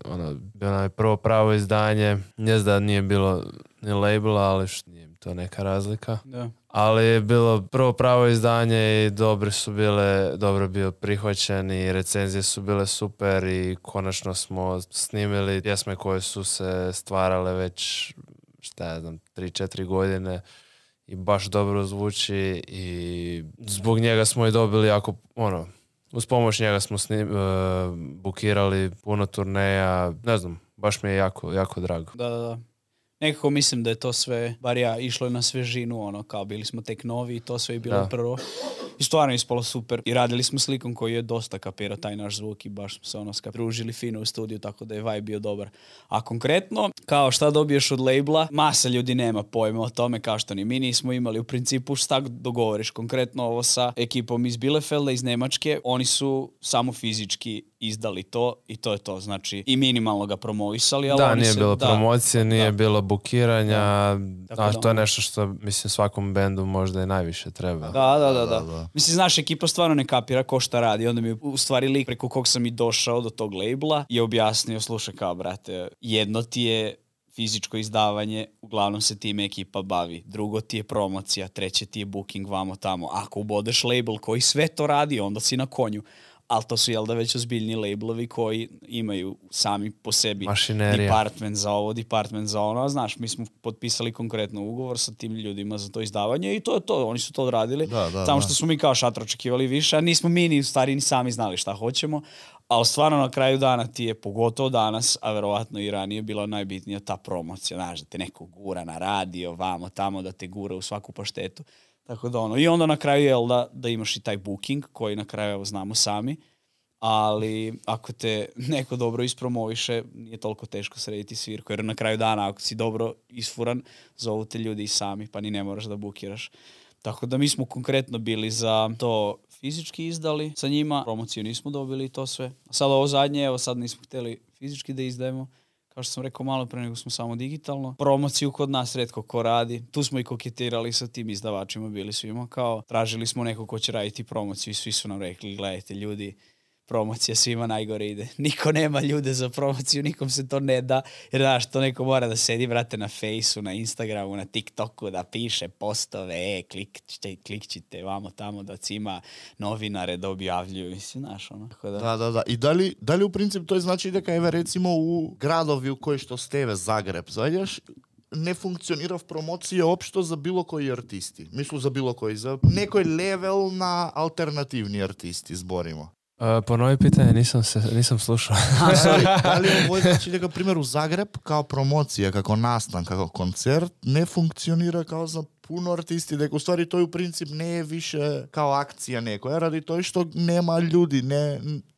bilo nam je prvo pravo izdanje, ne znam da nije bilo ni labela, ali nije mi to neka razlika. Da. Ali je bilo prvo pravo izdanje i dobro bio prihvaćen i recenzije su bile super i konačno smo snimili pjesme koje su se stvarale već, šta ja znam, 3-4 godine. I baš dobro zvuči i zbog njega smo i dobili jako, uz pomoć njega smo bukirali puno turneja, ne znam, baš mi je jako drago. Da. Nekako mislim da je to sve, bar ja, išlo je na svežinu, kao bili smo tek novi i to sve je bilo prvo. I stvarno je ispalo super. I radili smo slikom koji je dosta kapirao taj naš zvuk i baš smo se družili fino u studiju, tako da je vibe bio dobar. A konkretno, kao šta dobiješ od labela, masa ljudi nema pojma o tome, kao što ni mi nismo imali. U principu šta dogovoriš, konkretno ovo sa ekipom iz Bielefelda, iz Nemačke, oni su samo fizički izdali to i to je to. Znači, i minimalno ga promovisali. Ali nije bilo promocije, nije bilo bukiranja, a to je nešto što, mislim, svakom bendu možda i najviše treba. Da. Mislim, znaš, ekipa stvarno ne kapira ko šta radi. Onda mi je u stvari lik preko kog sam i došao do tog labela je objasnio, slušaj kao, brate, jedno ti je fizičko izdavanje, uglavnom se time ekipa bavi. Drugo ti je promocija, treće ti je booking vamo tamo. Ako ubodeš label koji sve to radi, onda si na konju. Ali to su, već ozbiljni labelovi koji imaju sami po sebi department za ovo, department za ono. Znaš, mi smo potpisali konkretno ugovor sa tim ljudima za to izdavanje i to je to. Oni su to odradili. Samo što smo mi kao šatro očekivali više, a nismo mi ni u stvari ni sami znali šta hoćemo. Ali stvarno na kraju dana ti je, pogotovo danas, a verovatno i ranije, bila najbitnija ta promocija. Znaš, da te neko gura na radio, vamo, tamo, da te gura u svaku paštetu. Tako da i onda na kraju je da imaš i taj booking koji na kraju znamo sami, ali ako te neko dobro ispromoviše nije toliko teško srediti svirku, jer na kraju dana ako si dobro isfuran zovu te ljudi i sami pa ni ne moraš da bukiraš. Tako da mi smo konkretno bili za to fizički izdali sa njima, promociju nismo dobili i to sve. A sad ovo zadnje, sad nismo htjeli fizički da izdajemo. Kao što sam rekao malo pre, nego smo samo digitalno. Promociju kod nas retko ko radi. Tu smo i koketirali sa tim izdavačima, bili svima kao tražili smo neko ko će raditi promociju i svi su nam rekli, gledajte ljudi, promocija svima najgore ide. Niko nema ljude za promociju, nikom se to ne da, jer znaš, to neko mora da sedi, brate, na Fejsu, na Instagramu, na TikToku, da piše postove, klikćite vamo tamo, da cima novinare da objavljuju, mislim, znaš, ono. Da. I da li u principu to znači da kaj recimo u gradovi u koji što steve Zagreb, zajdeš, ne funkcionira v promocije opšto za bilo koji artisti. Mislim za bilo koji, za nekoj level na alternativni artisti zborimo. Ponovi pitanje, nisam slušao. Da li ovo znači da, primjer, u Zagreb kao promocija, kako nastan, kako koncert, ne funkcionira kao za puno artisti, da u stvari to u princip ne je više kao akcija nekoja, radi to što nema ljudi,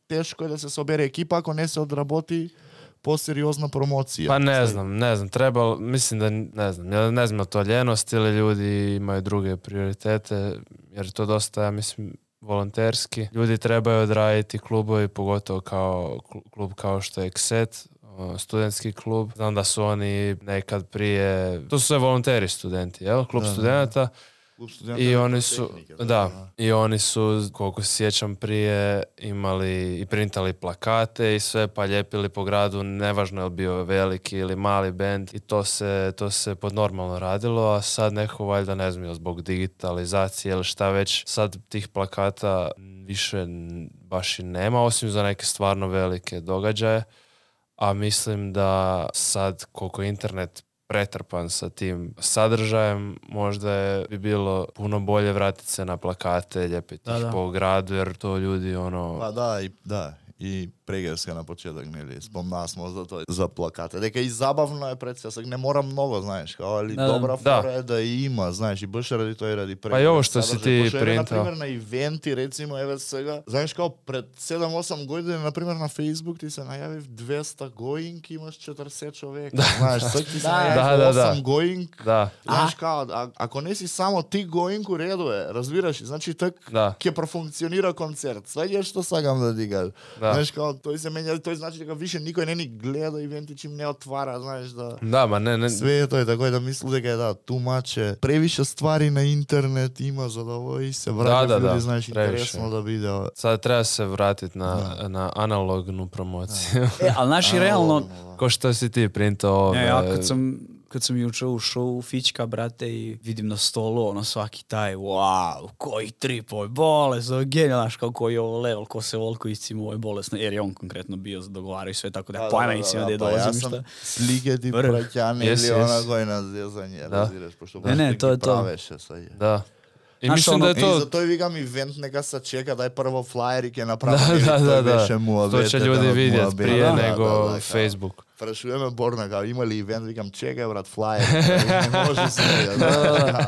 teško je da se sobere ekipa ako ne se odraboti poseriozna promocija. Pa ne znam, treba, mislim da ne znam to ljenost ili ljudi imaju druge prioritete, jer to dosta, ja mislim, volonterski. Ljudi trebaju odraditi klubovi, pogotovo kao klub kao što je Xset, studentski klub. Znam da su oni nekad prije, to su sve volonteri studenti, jel? Klub studenata. I oni su, koliko se sjećam, prije imali i printali plakate i sve, pa ljepili po gradu, nevažno je li bio veliki ili mali bend, i to se pod normalno radilo, a sad neko valjda, ne znam, zbog digitalizacije ili šta već, sad tih plakata više baš i nema, osim za neke stvarno velike događaje, a mislim da sad koliko internet pretrpan sa tim sadržajem, možda bi bilo puno bolje vratiti se na plakate, ljepiti ih po gradu, jer to ljudi Pa da, i Pregerska na početak, spomna smo za to, za plakate. Дека i zabavno je predstavljak, ne mora mnogo, znaš, kao, ali dobra fora je da ima, znaš, i baš radi to i radi Pregerska. Pa i ovo što si ti printao. Na primjer, na eventi, recimo, evo svega, znaš, kao pred 7-8 godina, na primjer, na Facebook ti se najavi 200 going, imaš 40 čoveka, znaš, sad ti se najavi 8 going, znaš, kao, ako nisi samo ti going u redu je, razbiraš, znači, tak kje profunkcionira koncert, sve je što sagam da diga. Znaš, kao, to se menja, to znači da više nikoj ne ni gleda eventi čim ne otvara, znaš, da... Da, ma ne. Sve je to je tako da misli da je tumače. Previše stvari na internet ima za da ovo i se vrati ljudi, znaš, interesno da vide. Sad treba se vratiti na analognu promociju. Ali naši realno... Ko što si ti printao Ja kad sam juče ušao u Fićka, brate, i vidim na stolu, ono, svaki taj, wow, koji trip, ovo je bolesno, genijalno, kao koji je ovo level, ko se volko iscima, ovo je bolesno, jer je on konkretno bio dogovarao i sve, tako da pojma nisam da je dolazim šta. Ja sam slike ti praćane ili ona koji nas zjezanje, razireš, pošto to je to. Praveše sad je. Da. I mislim da je to... I zato je vigam event neka se čeka, daj prvo flyerik napraviti, to više mu to će ljudi vidjeti prije nego Facebook. Prašujeme Borna, kao imali event, vikam čekaj brat, flyer, ne može se. Da.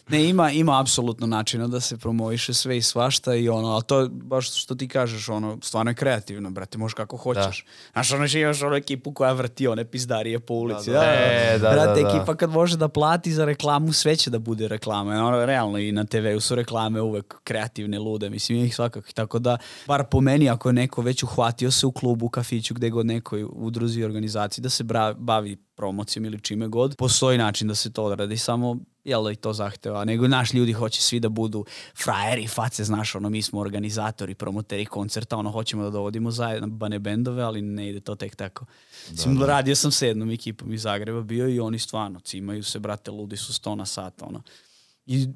Ne, ima apsolutno načina da se promoviše sve i svašta i ono, ali to baš što ti kažeš, ono, stvarno je kreativno, brate, možeš kako hoćeš. Znaš, ono, imaš ono ekipu koja vrti one pizdarije po ulici. Brate, ekipa kad može da plati za reklamu, sve će da bude reklama. Ono, realno i na TV-u su reklame uvek kreativne, lude, mislim, ih svakako. Tako da, bar po meni, ako je neko već uhvatio se u klubu, kafiću, gde god nekoj udruzi i organizaciji, da se bavi promocijom ili čime god, postoji način da se to odradi, samo jel da i to zahteva, nego naš ljudi hoće svi da budu frajeri, face, znaš, ono, mi smo organizatori, promoteri koncerta, ono, hoćemo da dovodimo zajebane bendove, ali ne ide to tek tako. Radio sam sa jednom ekipom iz Zagreba bio i oni stvarno cimaju se, brate, ludi su 100 na sat, ono. I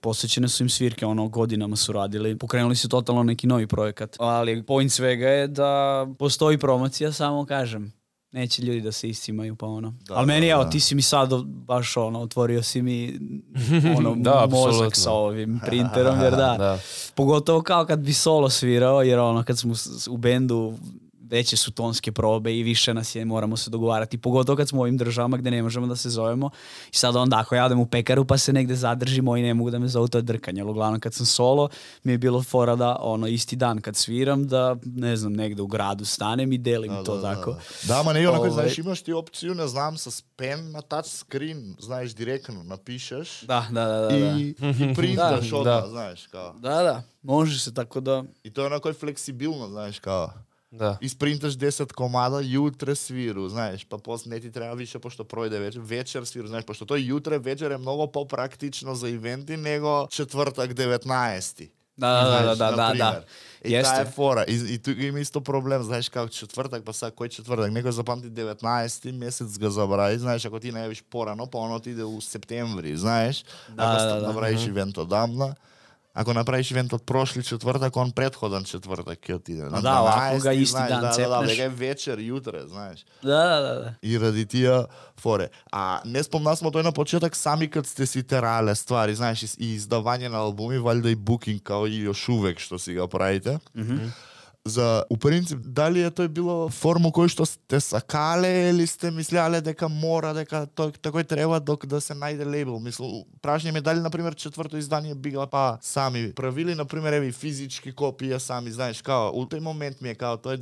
posvećene su im svirke, ono, godinama su radili, pokrenuli su totalno neki novi projekat, ali point svega je da postoji promocija, samo kažem, neće ljudi da se iscimaju, pa ono. Ali meni, evo, ti si mi sad baš, ono, otvorio si mi ono, mozak sa ovim printerom, jer da. Pogotovo kao kad bi solo svirao, jer ono, kad smo u bendu, veće su tonske probe i više nas je, moramo se dogovarati, pogotovo kad smo u ovim državama gde ne možemo da se zovemo i sad onda ako ja odem u pekaru pa se negde zadržimo i ne mogu da me zovu, to je drkanje, ali uglavnom kad sam solo mi je bilo fora da ono isti dan kad sviram da ne znam negde u gradu stanem i delim to tako. Da, ma ne, onako znaš imaš ti opciju, ne znam, sa pen na touch screen, znaš, direktno napišeš i printaš odmah, znaš, kao. Da, može se tako da. I to je onako fleksibilno, znaš, kao. Isprintaš 10 komada, jutre sviru, znaš, pa posle ne ti treba više pošto projde večer sviru, znaš, pošto to jutre večer je mnogo popraktično za eventi nego četvrtak 19. Da. I ta je fora. I tu ima isto problem, znaš, kao četvrtak, pa sad koji četvrtak? Neko zapamti 19. mjesec ga zabravi, znaš, ako ti ne javiš porano, pa ono ti ide u septembri, znaš, ako napraviš event odamna. Ako napraviš event od prošli četvrtak, on prethodan četvrtak je ti ide. Ovako ga isti dan cepneš. Da, večer, jutre, znaš. Da. I radi tija fore. A ne spomna smo to na početak, sami kad ste si terale stvari, znaš, i izdavanje na albumi, valjda i booking kao i još uvek što si ga pravite. За, у принцип, дали е тој било форму кој што сте сакале или сте мислеле дека мора, дека такој треба док да се најде лейбл? Мислам, прашање ми дали, например, четврто издание бига па сами правили, например, еви физички копија сами, знаеш, као, у тој момент ми е као тој,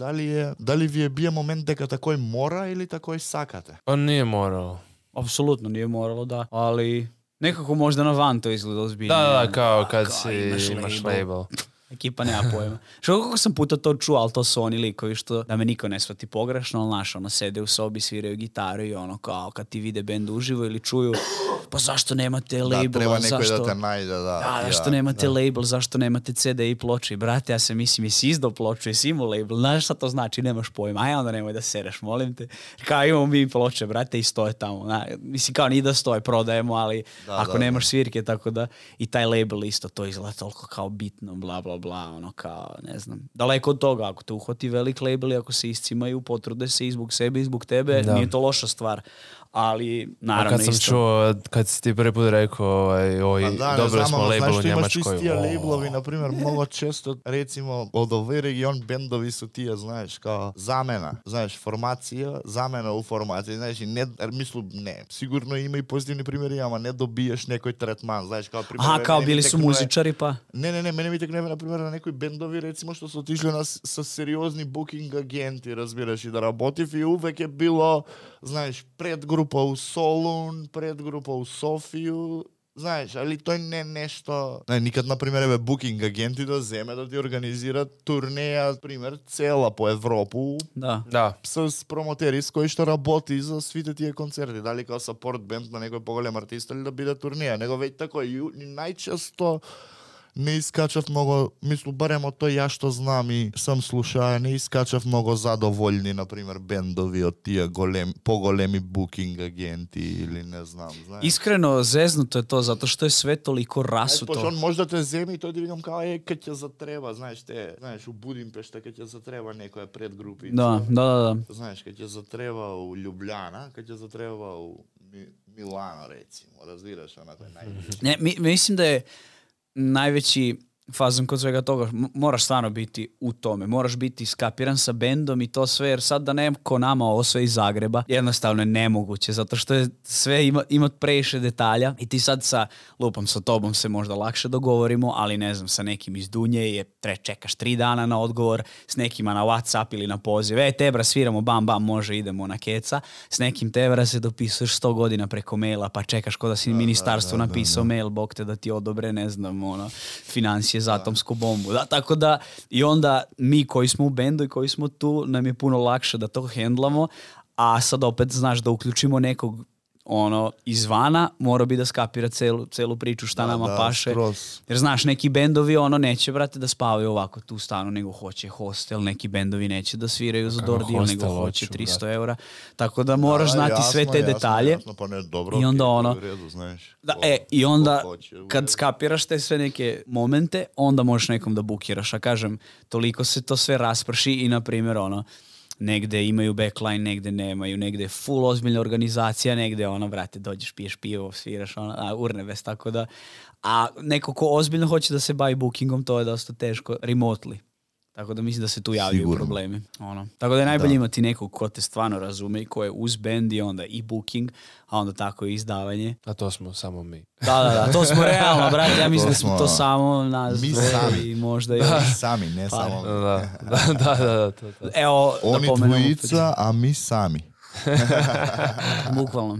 дали ви е бие момент дека такој мора или такој сакате? On nije moralo. Apsolutno nije moralo, da. Ali nekako možda na van to izgleda ozbiljno. Da, kao kad imaš label. Ekipa nema pojma. Što kako sam puta to čuo, ali to su oni likovi što, da me niko ne shvati pogrešno, ali naš, ono, sede u sobi, sviraju gitaru i ono, kao, kad ti vide bend uživo ili čuju, pa zašto nemate label? Da, treba neko da te najde, da. Zašto nemate label, zašto nemate CD i ploče? I brate, ja se mislim, jesi izdao ploču, jesi imao label, znaš šta to znači, nemaš pojma, aj onda nemoj da sereš, molim te. Kao, imamo mi ploče, brate, i stoje tamo. Mislim, kao, ni da stoje, prodajemo, ali ako nemaš svirke, tako da, i taj label isto, to izgleda toliko kao bitno, bla, bla, bla, ono kao, ne znam. Daleko od toga, ako te uhvati velik label i ako se iscimaju, potrude se i zbog sebe i zbog tebe, nije to loša stvar. Ali, naravno, kad sam čuo, kad si ti prvi put rekao, dobili smo label u Njemačkoj. Znaš, imaš ti tija lablovi, naprimjer, mnogo često, recimo, od ovaj region bendovi su tija, znaš, kao zamena, znaš, formacija, zamena u formaciji, znaš, i ne, mislim, ne, sigurno ima i pozitivni primjeri, ama ne dobiješ nekoj tretman, znaš, kao primjer... Aha, kao bili su muzičari, pa? Ne, mene mi tekneve, naprimjer, na nekoj bendovi, recimo, što su otišli sa seriozni booking agenti, razbiraš, i da работив, i uvek je bilo, znaš, предгрупа у Солун, предгрупа у Софiju, знаеш, али тој не нешто... Никад, например, букинг агенти да земе да ти организират турнеја, пример, цела по Европу, с промотери с кои што работи за свите тие концерти, дали као сапорт бенд на некој поголем артист или да биде турнеја, него веќе тако и најчесто не искачав много, мислу, барем од тој ја што знам и сам слушаја, не искачав много задоволни, например, бендови од тие поголеми букинг агенти или не знам, знаеш. Искрено, зезнуто е то, затоа што е све толико расуто. Пошто он може да те земе и тој ти викам као, кај ќе затреба, знаеш, у Будимпешта кај ќе затреба некоја предгрупица. Да. Знаеш, кај ќе затреба у Љубљана, кај ќе затреба у Милано, рецимо, разбираш, онако е најближи. Не, мислим да е najveći fazon kod svega toga, moraš stvarno biti u tome, moraš biti skapiran sa bendom i to sve, jer sad da neko nama ovo sve iz Zagreba, jednostavno je nemoguće, zato što je sve ima previše detalja i ti sad sa tobom se možda lakše dogovorimo, ali ne znam, sa nekim iz Dunje čekaš 3 dana na odgovor, s nekima na WhatsApp ili na poziv, tebra sviramo, bam, može, idemo na keca, s nekim tebra se dopisuješ 100 godina preko maila, pa čekaš ko da si ministarstvu napisao mail, bog te da ti odobre, ne znam, financije za atomsku bombu. Da, tako da i onda mi koji smo u bendu i koji smo tu, nam je puno lakše da to hendlamo, a sad opet znaš da uključimo nekog izvana, mora bi da skapira celu priču šta nama paše. Skroz. Jer znaš, neki bendovi neće, brate, da spavaju ovako tu stanu, nego hoće hostel, neki bendovi neće da sviraju za Dordio, nego hoće 300 eura. Tako da moraš znati sve te detalje. Jasno, pa ne, dobro, i onda u redu, znaš. I onda kad skapiraš te sve neke momente, onda možeš nekom da bukiraš. A kažem, toliko se to sve rasprši i, na primjer, negde imaju backline, negde nemaju, negde je full ozbiljna organizacija, negde brate, dođeš, piješ pivo, sviraš, urnebes, tako da, a neko ko ozbiljno hoće da se bavi bookingom, to je dosta teško, remotely. Tako da mislim da se tu javljaju problemi. Tako da je najbolje imati nekog ko te stvarno razume i ko je uz band i onda i booking, a onda tako i izdavanje. A to smo samo mi. Da, to smo realno, brate, ja mislim da smo to samo nas. Mi sami. I možda i sami, ne samo mi. Da. Evo, oni dvojica, a mi sami. Bukvalno.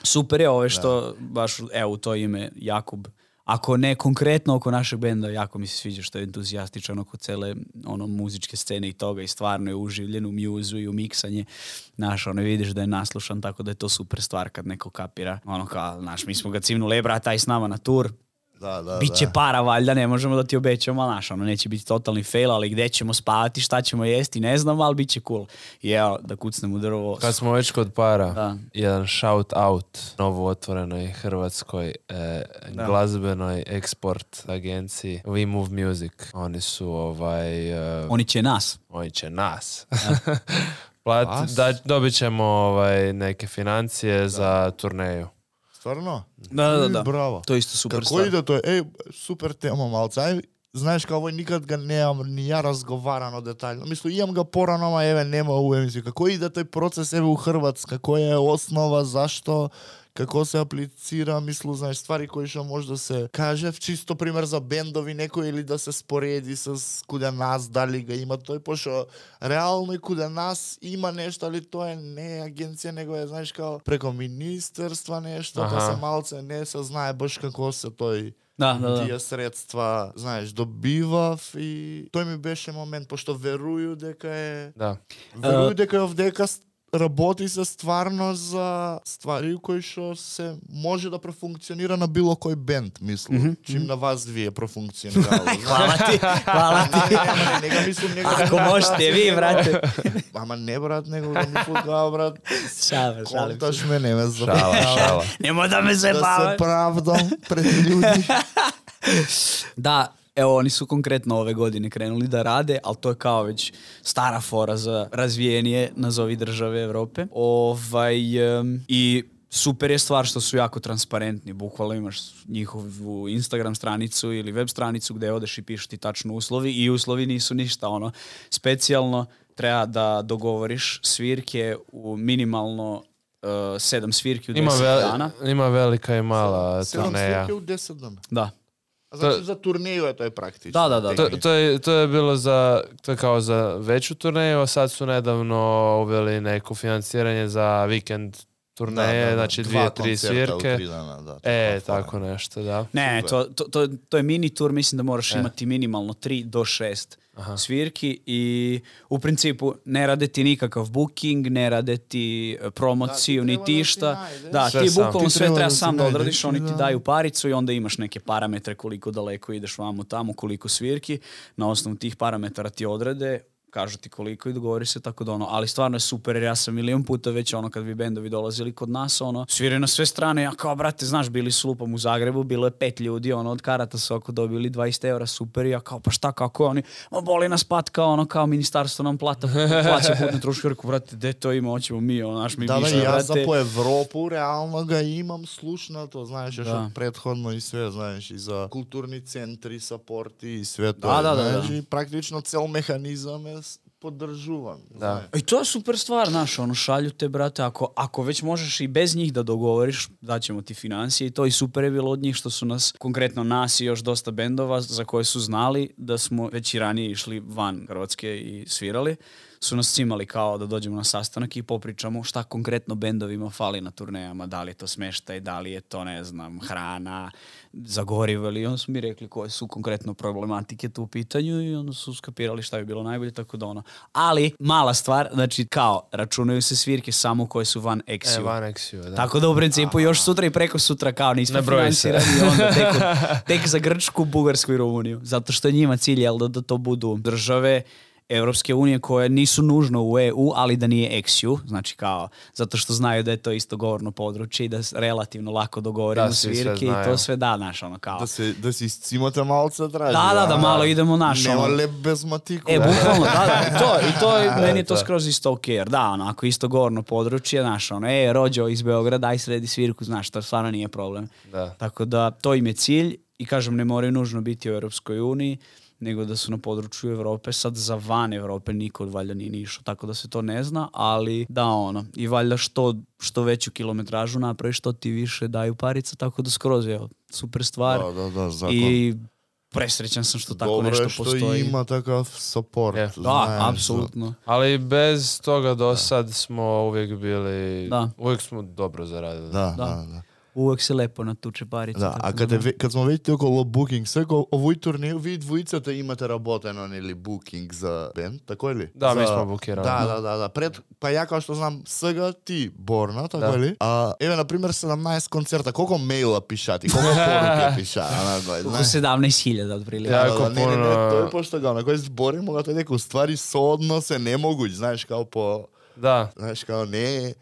Super je ove što baš, u to ime Jakub, ako ne konkretno oko našeg benda, jako mi se sviđa što je entuzijastičan oko cele muzičke scene i toga i stvarno je uživljen u mjuzu i u miksanje. Vidiš da je naslušan, tako da je to super stvar kad neko kapira. Mi smo ga cimnuli, brata, aj s nama na tur. Biće para, valjda, ne možemo da ti obećamo, ali naš, ono, neće biti totalni fail, ali gde ćemo spavati, šta ćemo jesti, ne znam, ali bit će cool. I evo, da kucnem u drvo. Kad smo već kod para, jedan shout out novo otvorenoj hrvatskoj glazbenoj eksport agenciji We Move Music. Oni su Oni će nas. Dobit ćemo neke financije za turneju. Stvarno? Da. Bravo. To je isto super Kako ide to? Super tema, malca. Znaš kao nikad ga nemam ni ja razgovarano detaljno. Mislim, imam ga porano, nema u emisiji. Kako ide taj proces u Hrvatska? Koja je osnova, zašto? Kako se aplicira, znaš, stvari koje što možda se kaže, čisto primjer za bendovi neko ili da se sporedi kuda nas, da li ga ima to je pošto realno i kuda nas ima nešto, ali to je ne agencija, nego je, znaš, kao preko ministerstva nešto, pa se malce ne saznaje baš kako se tije sredstva, znaš, dobiva i to mi beše moment, pošto veruju deka je ovdeka работи се стварно за ствари кои што се може да профункционира на било кој бенд, мислам. Чим на вас вие профункционирало. Хвала ти. Не го мислам, не го. Ако можете ви, брате. Ама не, брат, него го мислам као, брат. Шале. Конташ ме, не ме Шала. Нема да ме заебаваш. Да се правдам пред ljudi. Da, evo, oni su konkretno ove godine krenuli da rade, ali to je kao već stara fora za razvijenije, nazovi države Evrope. I super je stvar što su jako transparentni. Bukvalno imaš njihovu Instagram stranicu ili web stranicu gde odeš i pišu ti tačno uslovi i uslovi nisu ništa specijalno. Treba da dogovoriš svirke u minimalno 7 svirki u 10 dana. Ima velika i mala turneja. 7 svirke u 10 dana? Da. Znači za turneju je to je praktično. Da. To je bilo kao za veću turneju, a sad su nedavno uveli neko financiranje za vikend turneje, znači 2-3 svirke. Tako nešto, da. Ne, to je mini tur, mislim da moraš imati minimalno 3 do 6 svirki i u principu ne rade ti nikakav booking, ne rade ti promociju, niti išta. Da, ti bukvalno sve treba sam da odradiš, oni ti daju paricu i onda imaš neke parametre koliko daleko ideš vamo tamo, koliko svirki. Na osnovu tih parametara ti odrede, kažu ti koliko i dogovori se tako da ali stvarno je super jer ja sam milion puta već kad bi bendovi dolazili kod nas sviraju na sve strane, ja kao brate znaš bili su lupom u Zagrebu, bilo je 5 ljudi od karata su oko dobili 20 € super i ja kao pa šta kako je oni boli nas pat kao ministarstvo nam plaća putne troškove, rekao brate gde to ima, hoćemo mi naš mi da, ja za po Evropu realno ga imam slušnato, znaš još od prethodno i sve, znaš i za kulturni centri, supporti i sve to, znaš i praktično cel mehanizam je podržuvan. I to je super stvar, šalju te, brate, ako već možeš i bez njih da dogovoriš, daćemo ti financije i to i super je bilo od njih što su nas, konkretno nas i još dosta bendova za koje su znali da smo već i ranije išli van Hrvatske i svirali, su nas cimali kao da dođemo na sastanak i popričamo šta konkretno bendovima fali na turnejama, da li je to smeštaj, da li je to, ne znam, hrana, za gorivo ili onda su mi rekli koje su konkretno problematike tu u pitanju i onda su skapirali šta bi bilo najbolje, tako da Ali, mala stvar, znači kao, računaju se svirke samo koje su van Exiju. Van Exiju, da. Tako da u principu još sutra i preko sutra kao nismo finansirani i onda tek za Grčku, Bugarsku i Rumuniju. Zato što je njima cilj, da to budu države Evropske unije koje nisu nužno u EU, ali da nije XU, znači kao, zato što znaju da je to isto govorno područje i da relativno lako dogovorimo svirke i to sve kao. Da se iscimate malce traži. Da, malo idemo Nema lep bez matiku. Bukvalno, i to meni je to skroz isto ok, jer ako isto govorno područje, rođo iz Beograda, aj sredi svirku, znaš, to stvarno nije problem. Tako da, to im je cilj i kažem, ne moraju nužno biti u Europskoj uniji, nego da su na području Evrope, sad za van Evrope niko valjda nije išao, tako da se to ne zna, ali da i valjda što veću kilometražu napraviš, što ti više daju parica, tako da skroz je super stvar. Zakon. I presrećan sam što tako nešto postoji. Dobro je što ima takav support. Da, apsolutno. Ali bez toga do sad smo uvijek bili, uvijek smo dobro zaradili. Da. Uvek se lepo natuče parica. Да, а kad smo već okolo booking, sveko ovoj turneju vi dvojica imate работено или booking за band, tako li? Da, mi smo bukirali. Da. Pa ja kao što znam сега ti Borna, tako li? A еве на пример 17 концерта, колко мейла пишати, колко поруке пиша, Oko 17.000 otprilike. Не, тоа е пошто га, на кој зборимо като дека уствари сооднос е немогуќ, знаеш, као по... Da. Знаеш, као не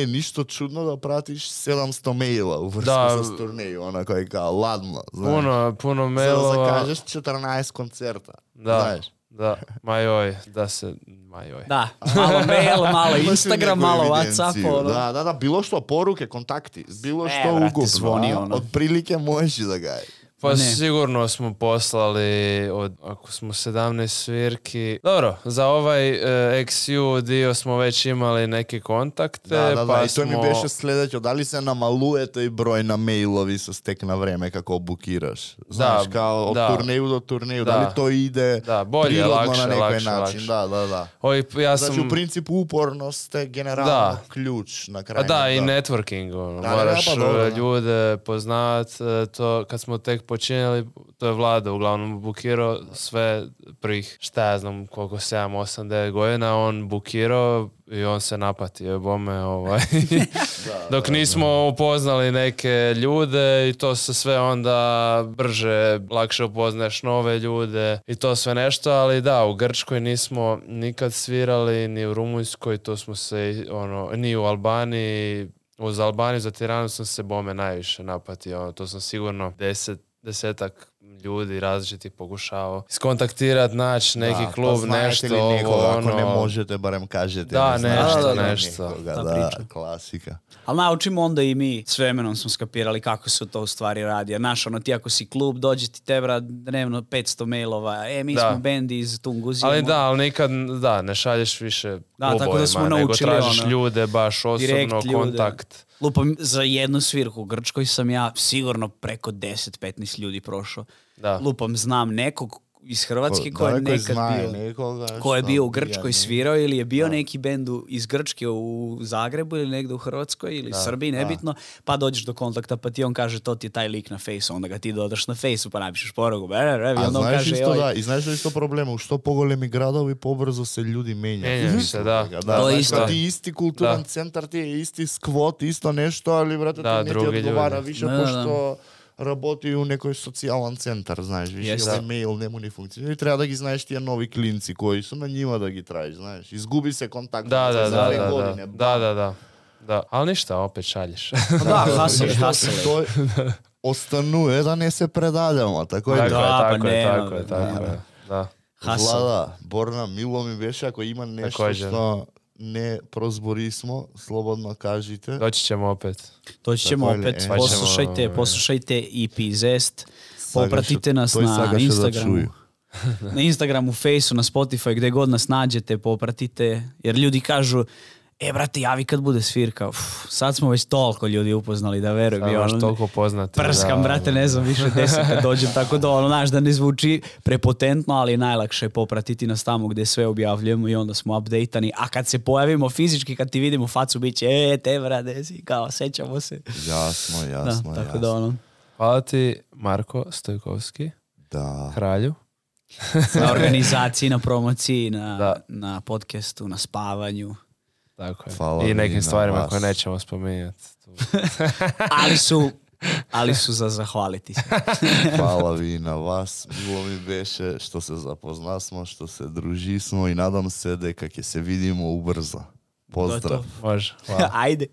е ништо чудно да пратиш 700 мейла уврска с турнеју, она кој као ладно, знаеш. Puno За да mailova. закажеш 14 концерта, знаеш. Da, majoj, da se, majoj. Da, malo mail, malo Имаш ли Instagram, некоја malo евиденција? WhatsApp. Да, било што поруке, контакти, било што брате, угубно, звони, ono. од прилike можеш и да га е. Pa Ne. sigurno smo poslali, ako smo 17 svirki, dobro, za ovaj XU dio smo već imali neke kontakte, Да, pa и тоа ми беше следеќо, дали се намалуе тој број на мејлови со стек на време како букираш? Знаеш, као од турнеју до турнеју, дали тој иде bolje, природно lakše, на некој lakše, начин? lakše. Да. Oj, ja Значи, sam... у принципу упорност е генерално клjuč na kraju. Da, i networking, ono, Da, moraš pa dobro, da. ljude poznat, to kad smo tek počinjeli, to je Vlada uglavnom bukirao sve prvih, šta ja znam, koliko 7, 8, 9 godina, on bukirao i on se napatio bome, dok nismo upoznali neke ljude i to se sve onda brže, lakše upoznaš nove ljude i to sve nešto, ali da, u Grčkoj nismo nikad svirali, ni u Rumunjskoj, to smo se, ni u Albaniji. Uz Albaniju za Tiranu sam se bome najviše napatio, to sam sigurno desetak ljudi različitih pokušavao iskontaktirat, naći neki klub, pa nešto, li nekoga, ako ne možete, barem kažete. Da, nešto. Nekoga, da, klasika. Ali naučimo onda i mi, s vremenom smo skapirali kako se to u stvari radi. Jer znaš, ti ako si klub, dođe ti tebra dnevno 500 mailova, mi smo band iz Tunguzije. Ali nikad, ne šalješ više klubovima, nego tražiš ljude, baš osobno, kontakt. Lupam, za jednu svirku u Grčkoj sam ja sigurno preko 10-15 ljudi prošao. Lupam, znam nekog iz Hrvatske ko je nekad bio, ko je bio u Grčkoj svirao ili je bio neki bend iz Grčke u Zagrebu ili negdje u Hrvatskoj ili Srbiji, nebitno, pa dođeš do kontakta pa ti on kaže to ti je taj lik na fejsu, onda ga ti dodaš na fejsu pa napišeš poruku, i onda on kaže i znaš da je isto problema, u što pogolemi gradovi pobrzо se ljudi menjaju se, to je isto. Ti isti kulturan centar, ti je isti skvot, isto nešto, ali vrate ti ne ti odgovara više pošto работи у некој социјален центар, знаеш, више мејл нему не функционира и треба да ги знаеш тие нови клинци кои су на њима да ги траиш, знаеш. Изгуби се контакт за 2 години. Да. Али ништа, опет шаљеш. Да, хаселе. Тој остануе да не се предадемо, тако е. Tako je. Да. Влада, Борна, мило ми беше ако има нешто што не прозборисмо, слободно кажите. Doći ćemo opet. Poslušajte EP Zest, popratite nas na Instagramu. Na Instagramu, Faceu, na Spotify, gde god nas nađete, popratite, jer ljudi kažu brate, javi kad bude svirka. Sad smo već toliko ljudi upoznali da verujem. Sad toliko poznati. Prskam, brate, ne znam više 10 kad dođem, tako da znaš da ne zvuči prepotentno, ali najlakše je popratiti nas tamo gde sve objavljujemo i onda smo updateani. A kad se pojavimo fizički, kad ti vidimo facu, bit će, te brate, si, kao, sećamo se. Jasno. Tako da Hvala ti, Marko Stojkovski. Da. Kralju. Na organizaciji, na promociji, na podcastu, na spavanju. Tako je. I nekim stvarima koje nećemo spominjati. ali su za zahvaliti se. Hvala vi na vas. Milo mi беше što se zapoznasmo, što se družismo i nadam se дека ќе se vidimo ubrzo. Pozdrav. Može. Ajde.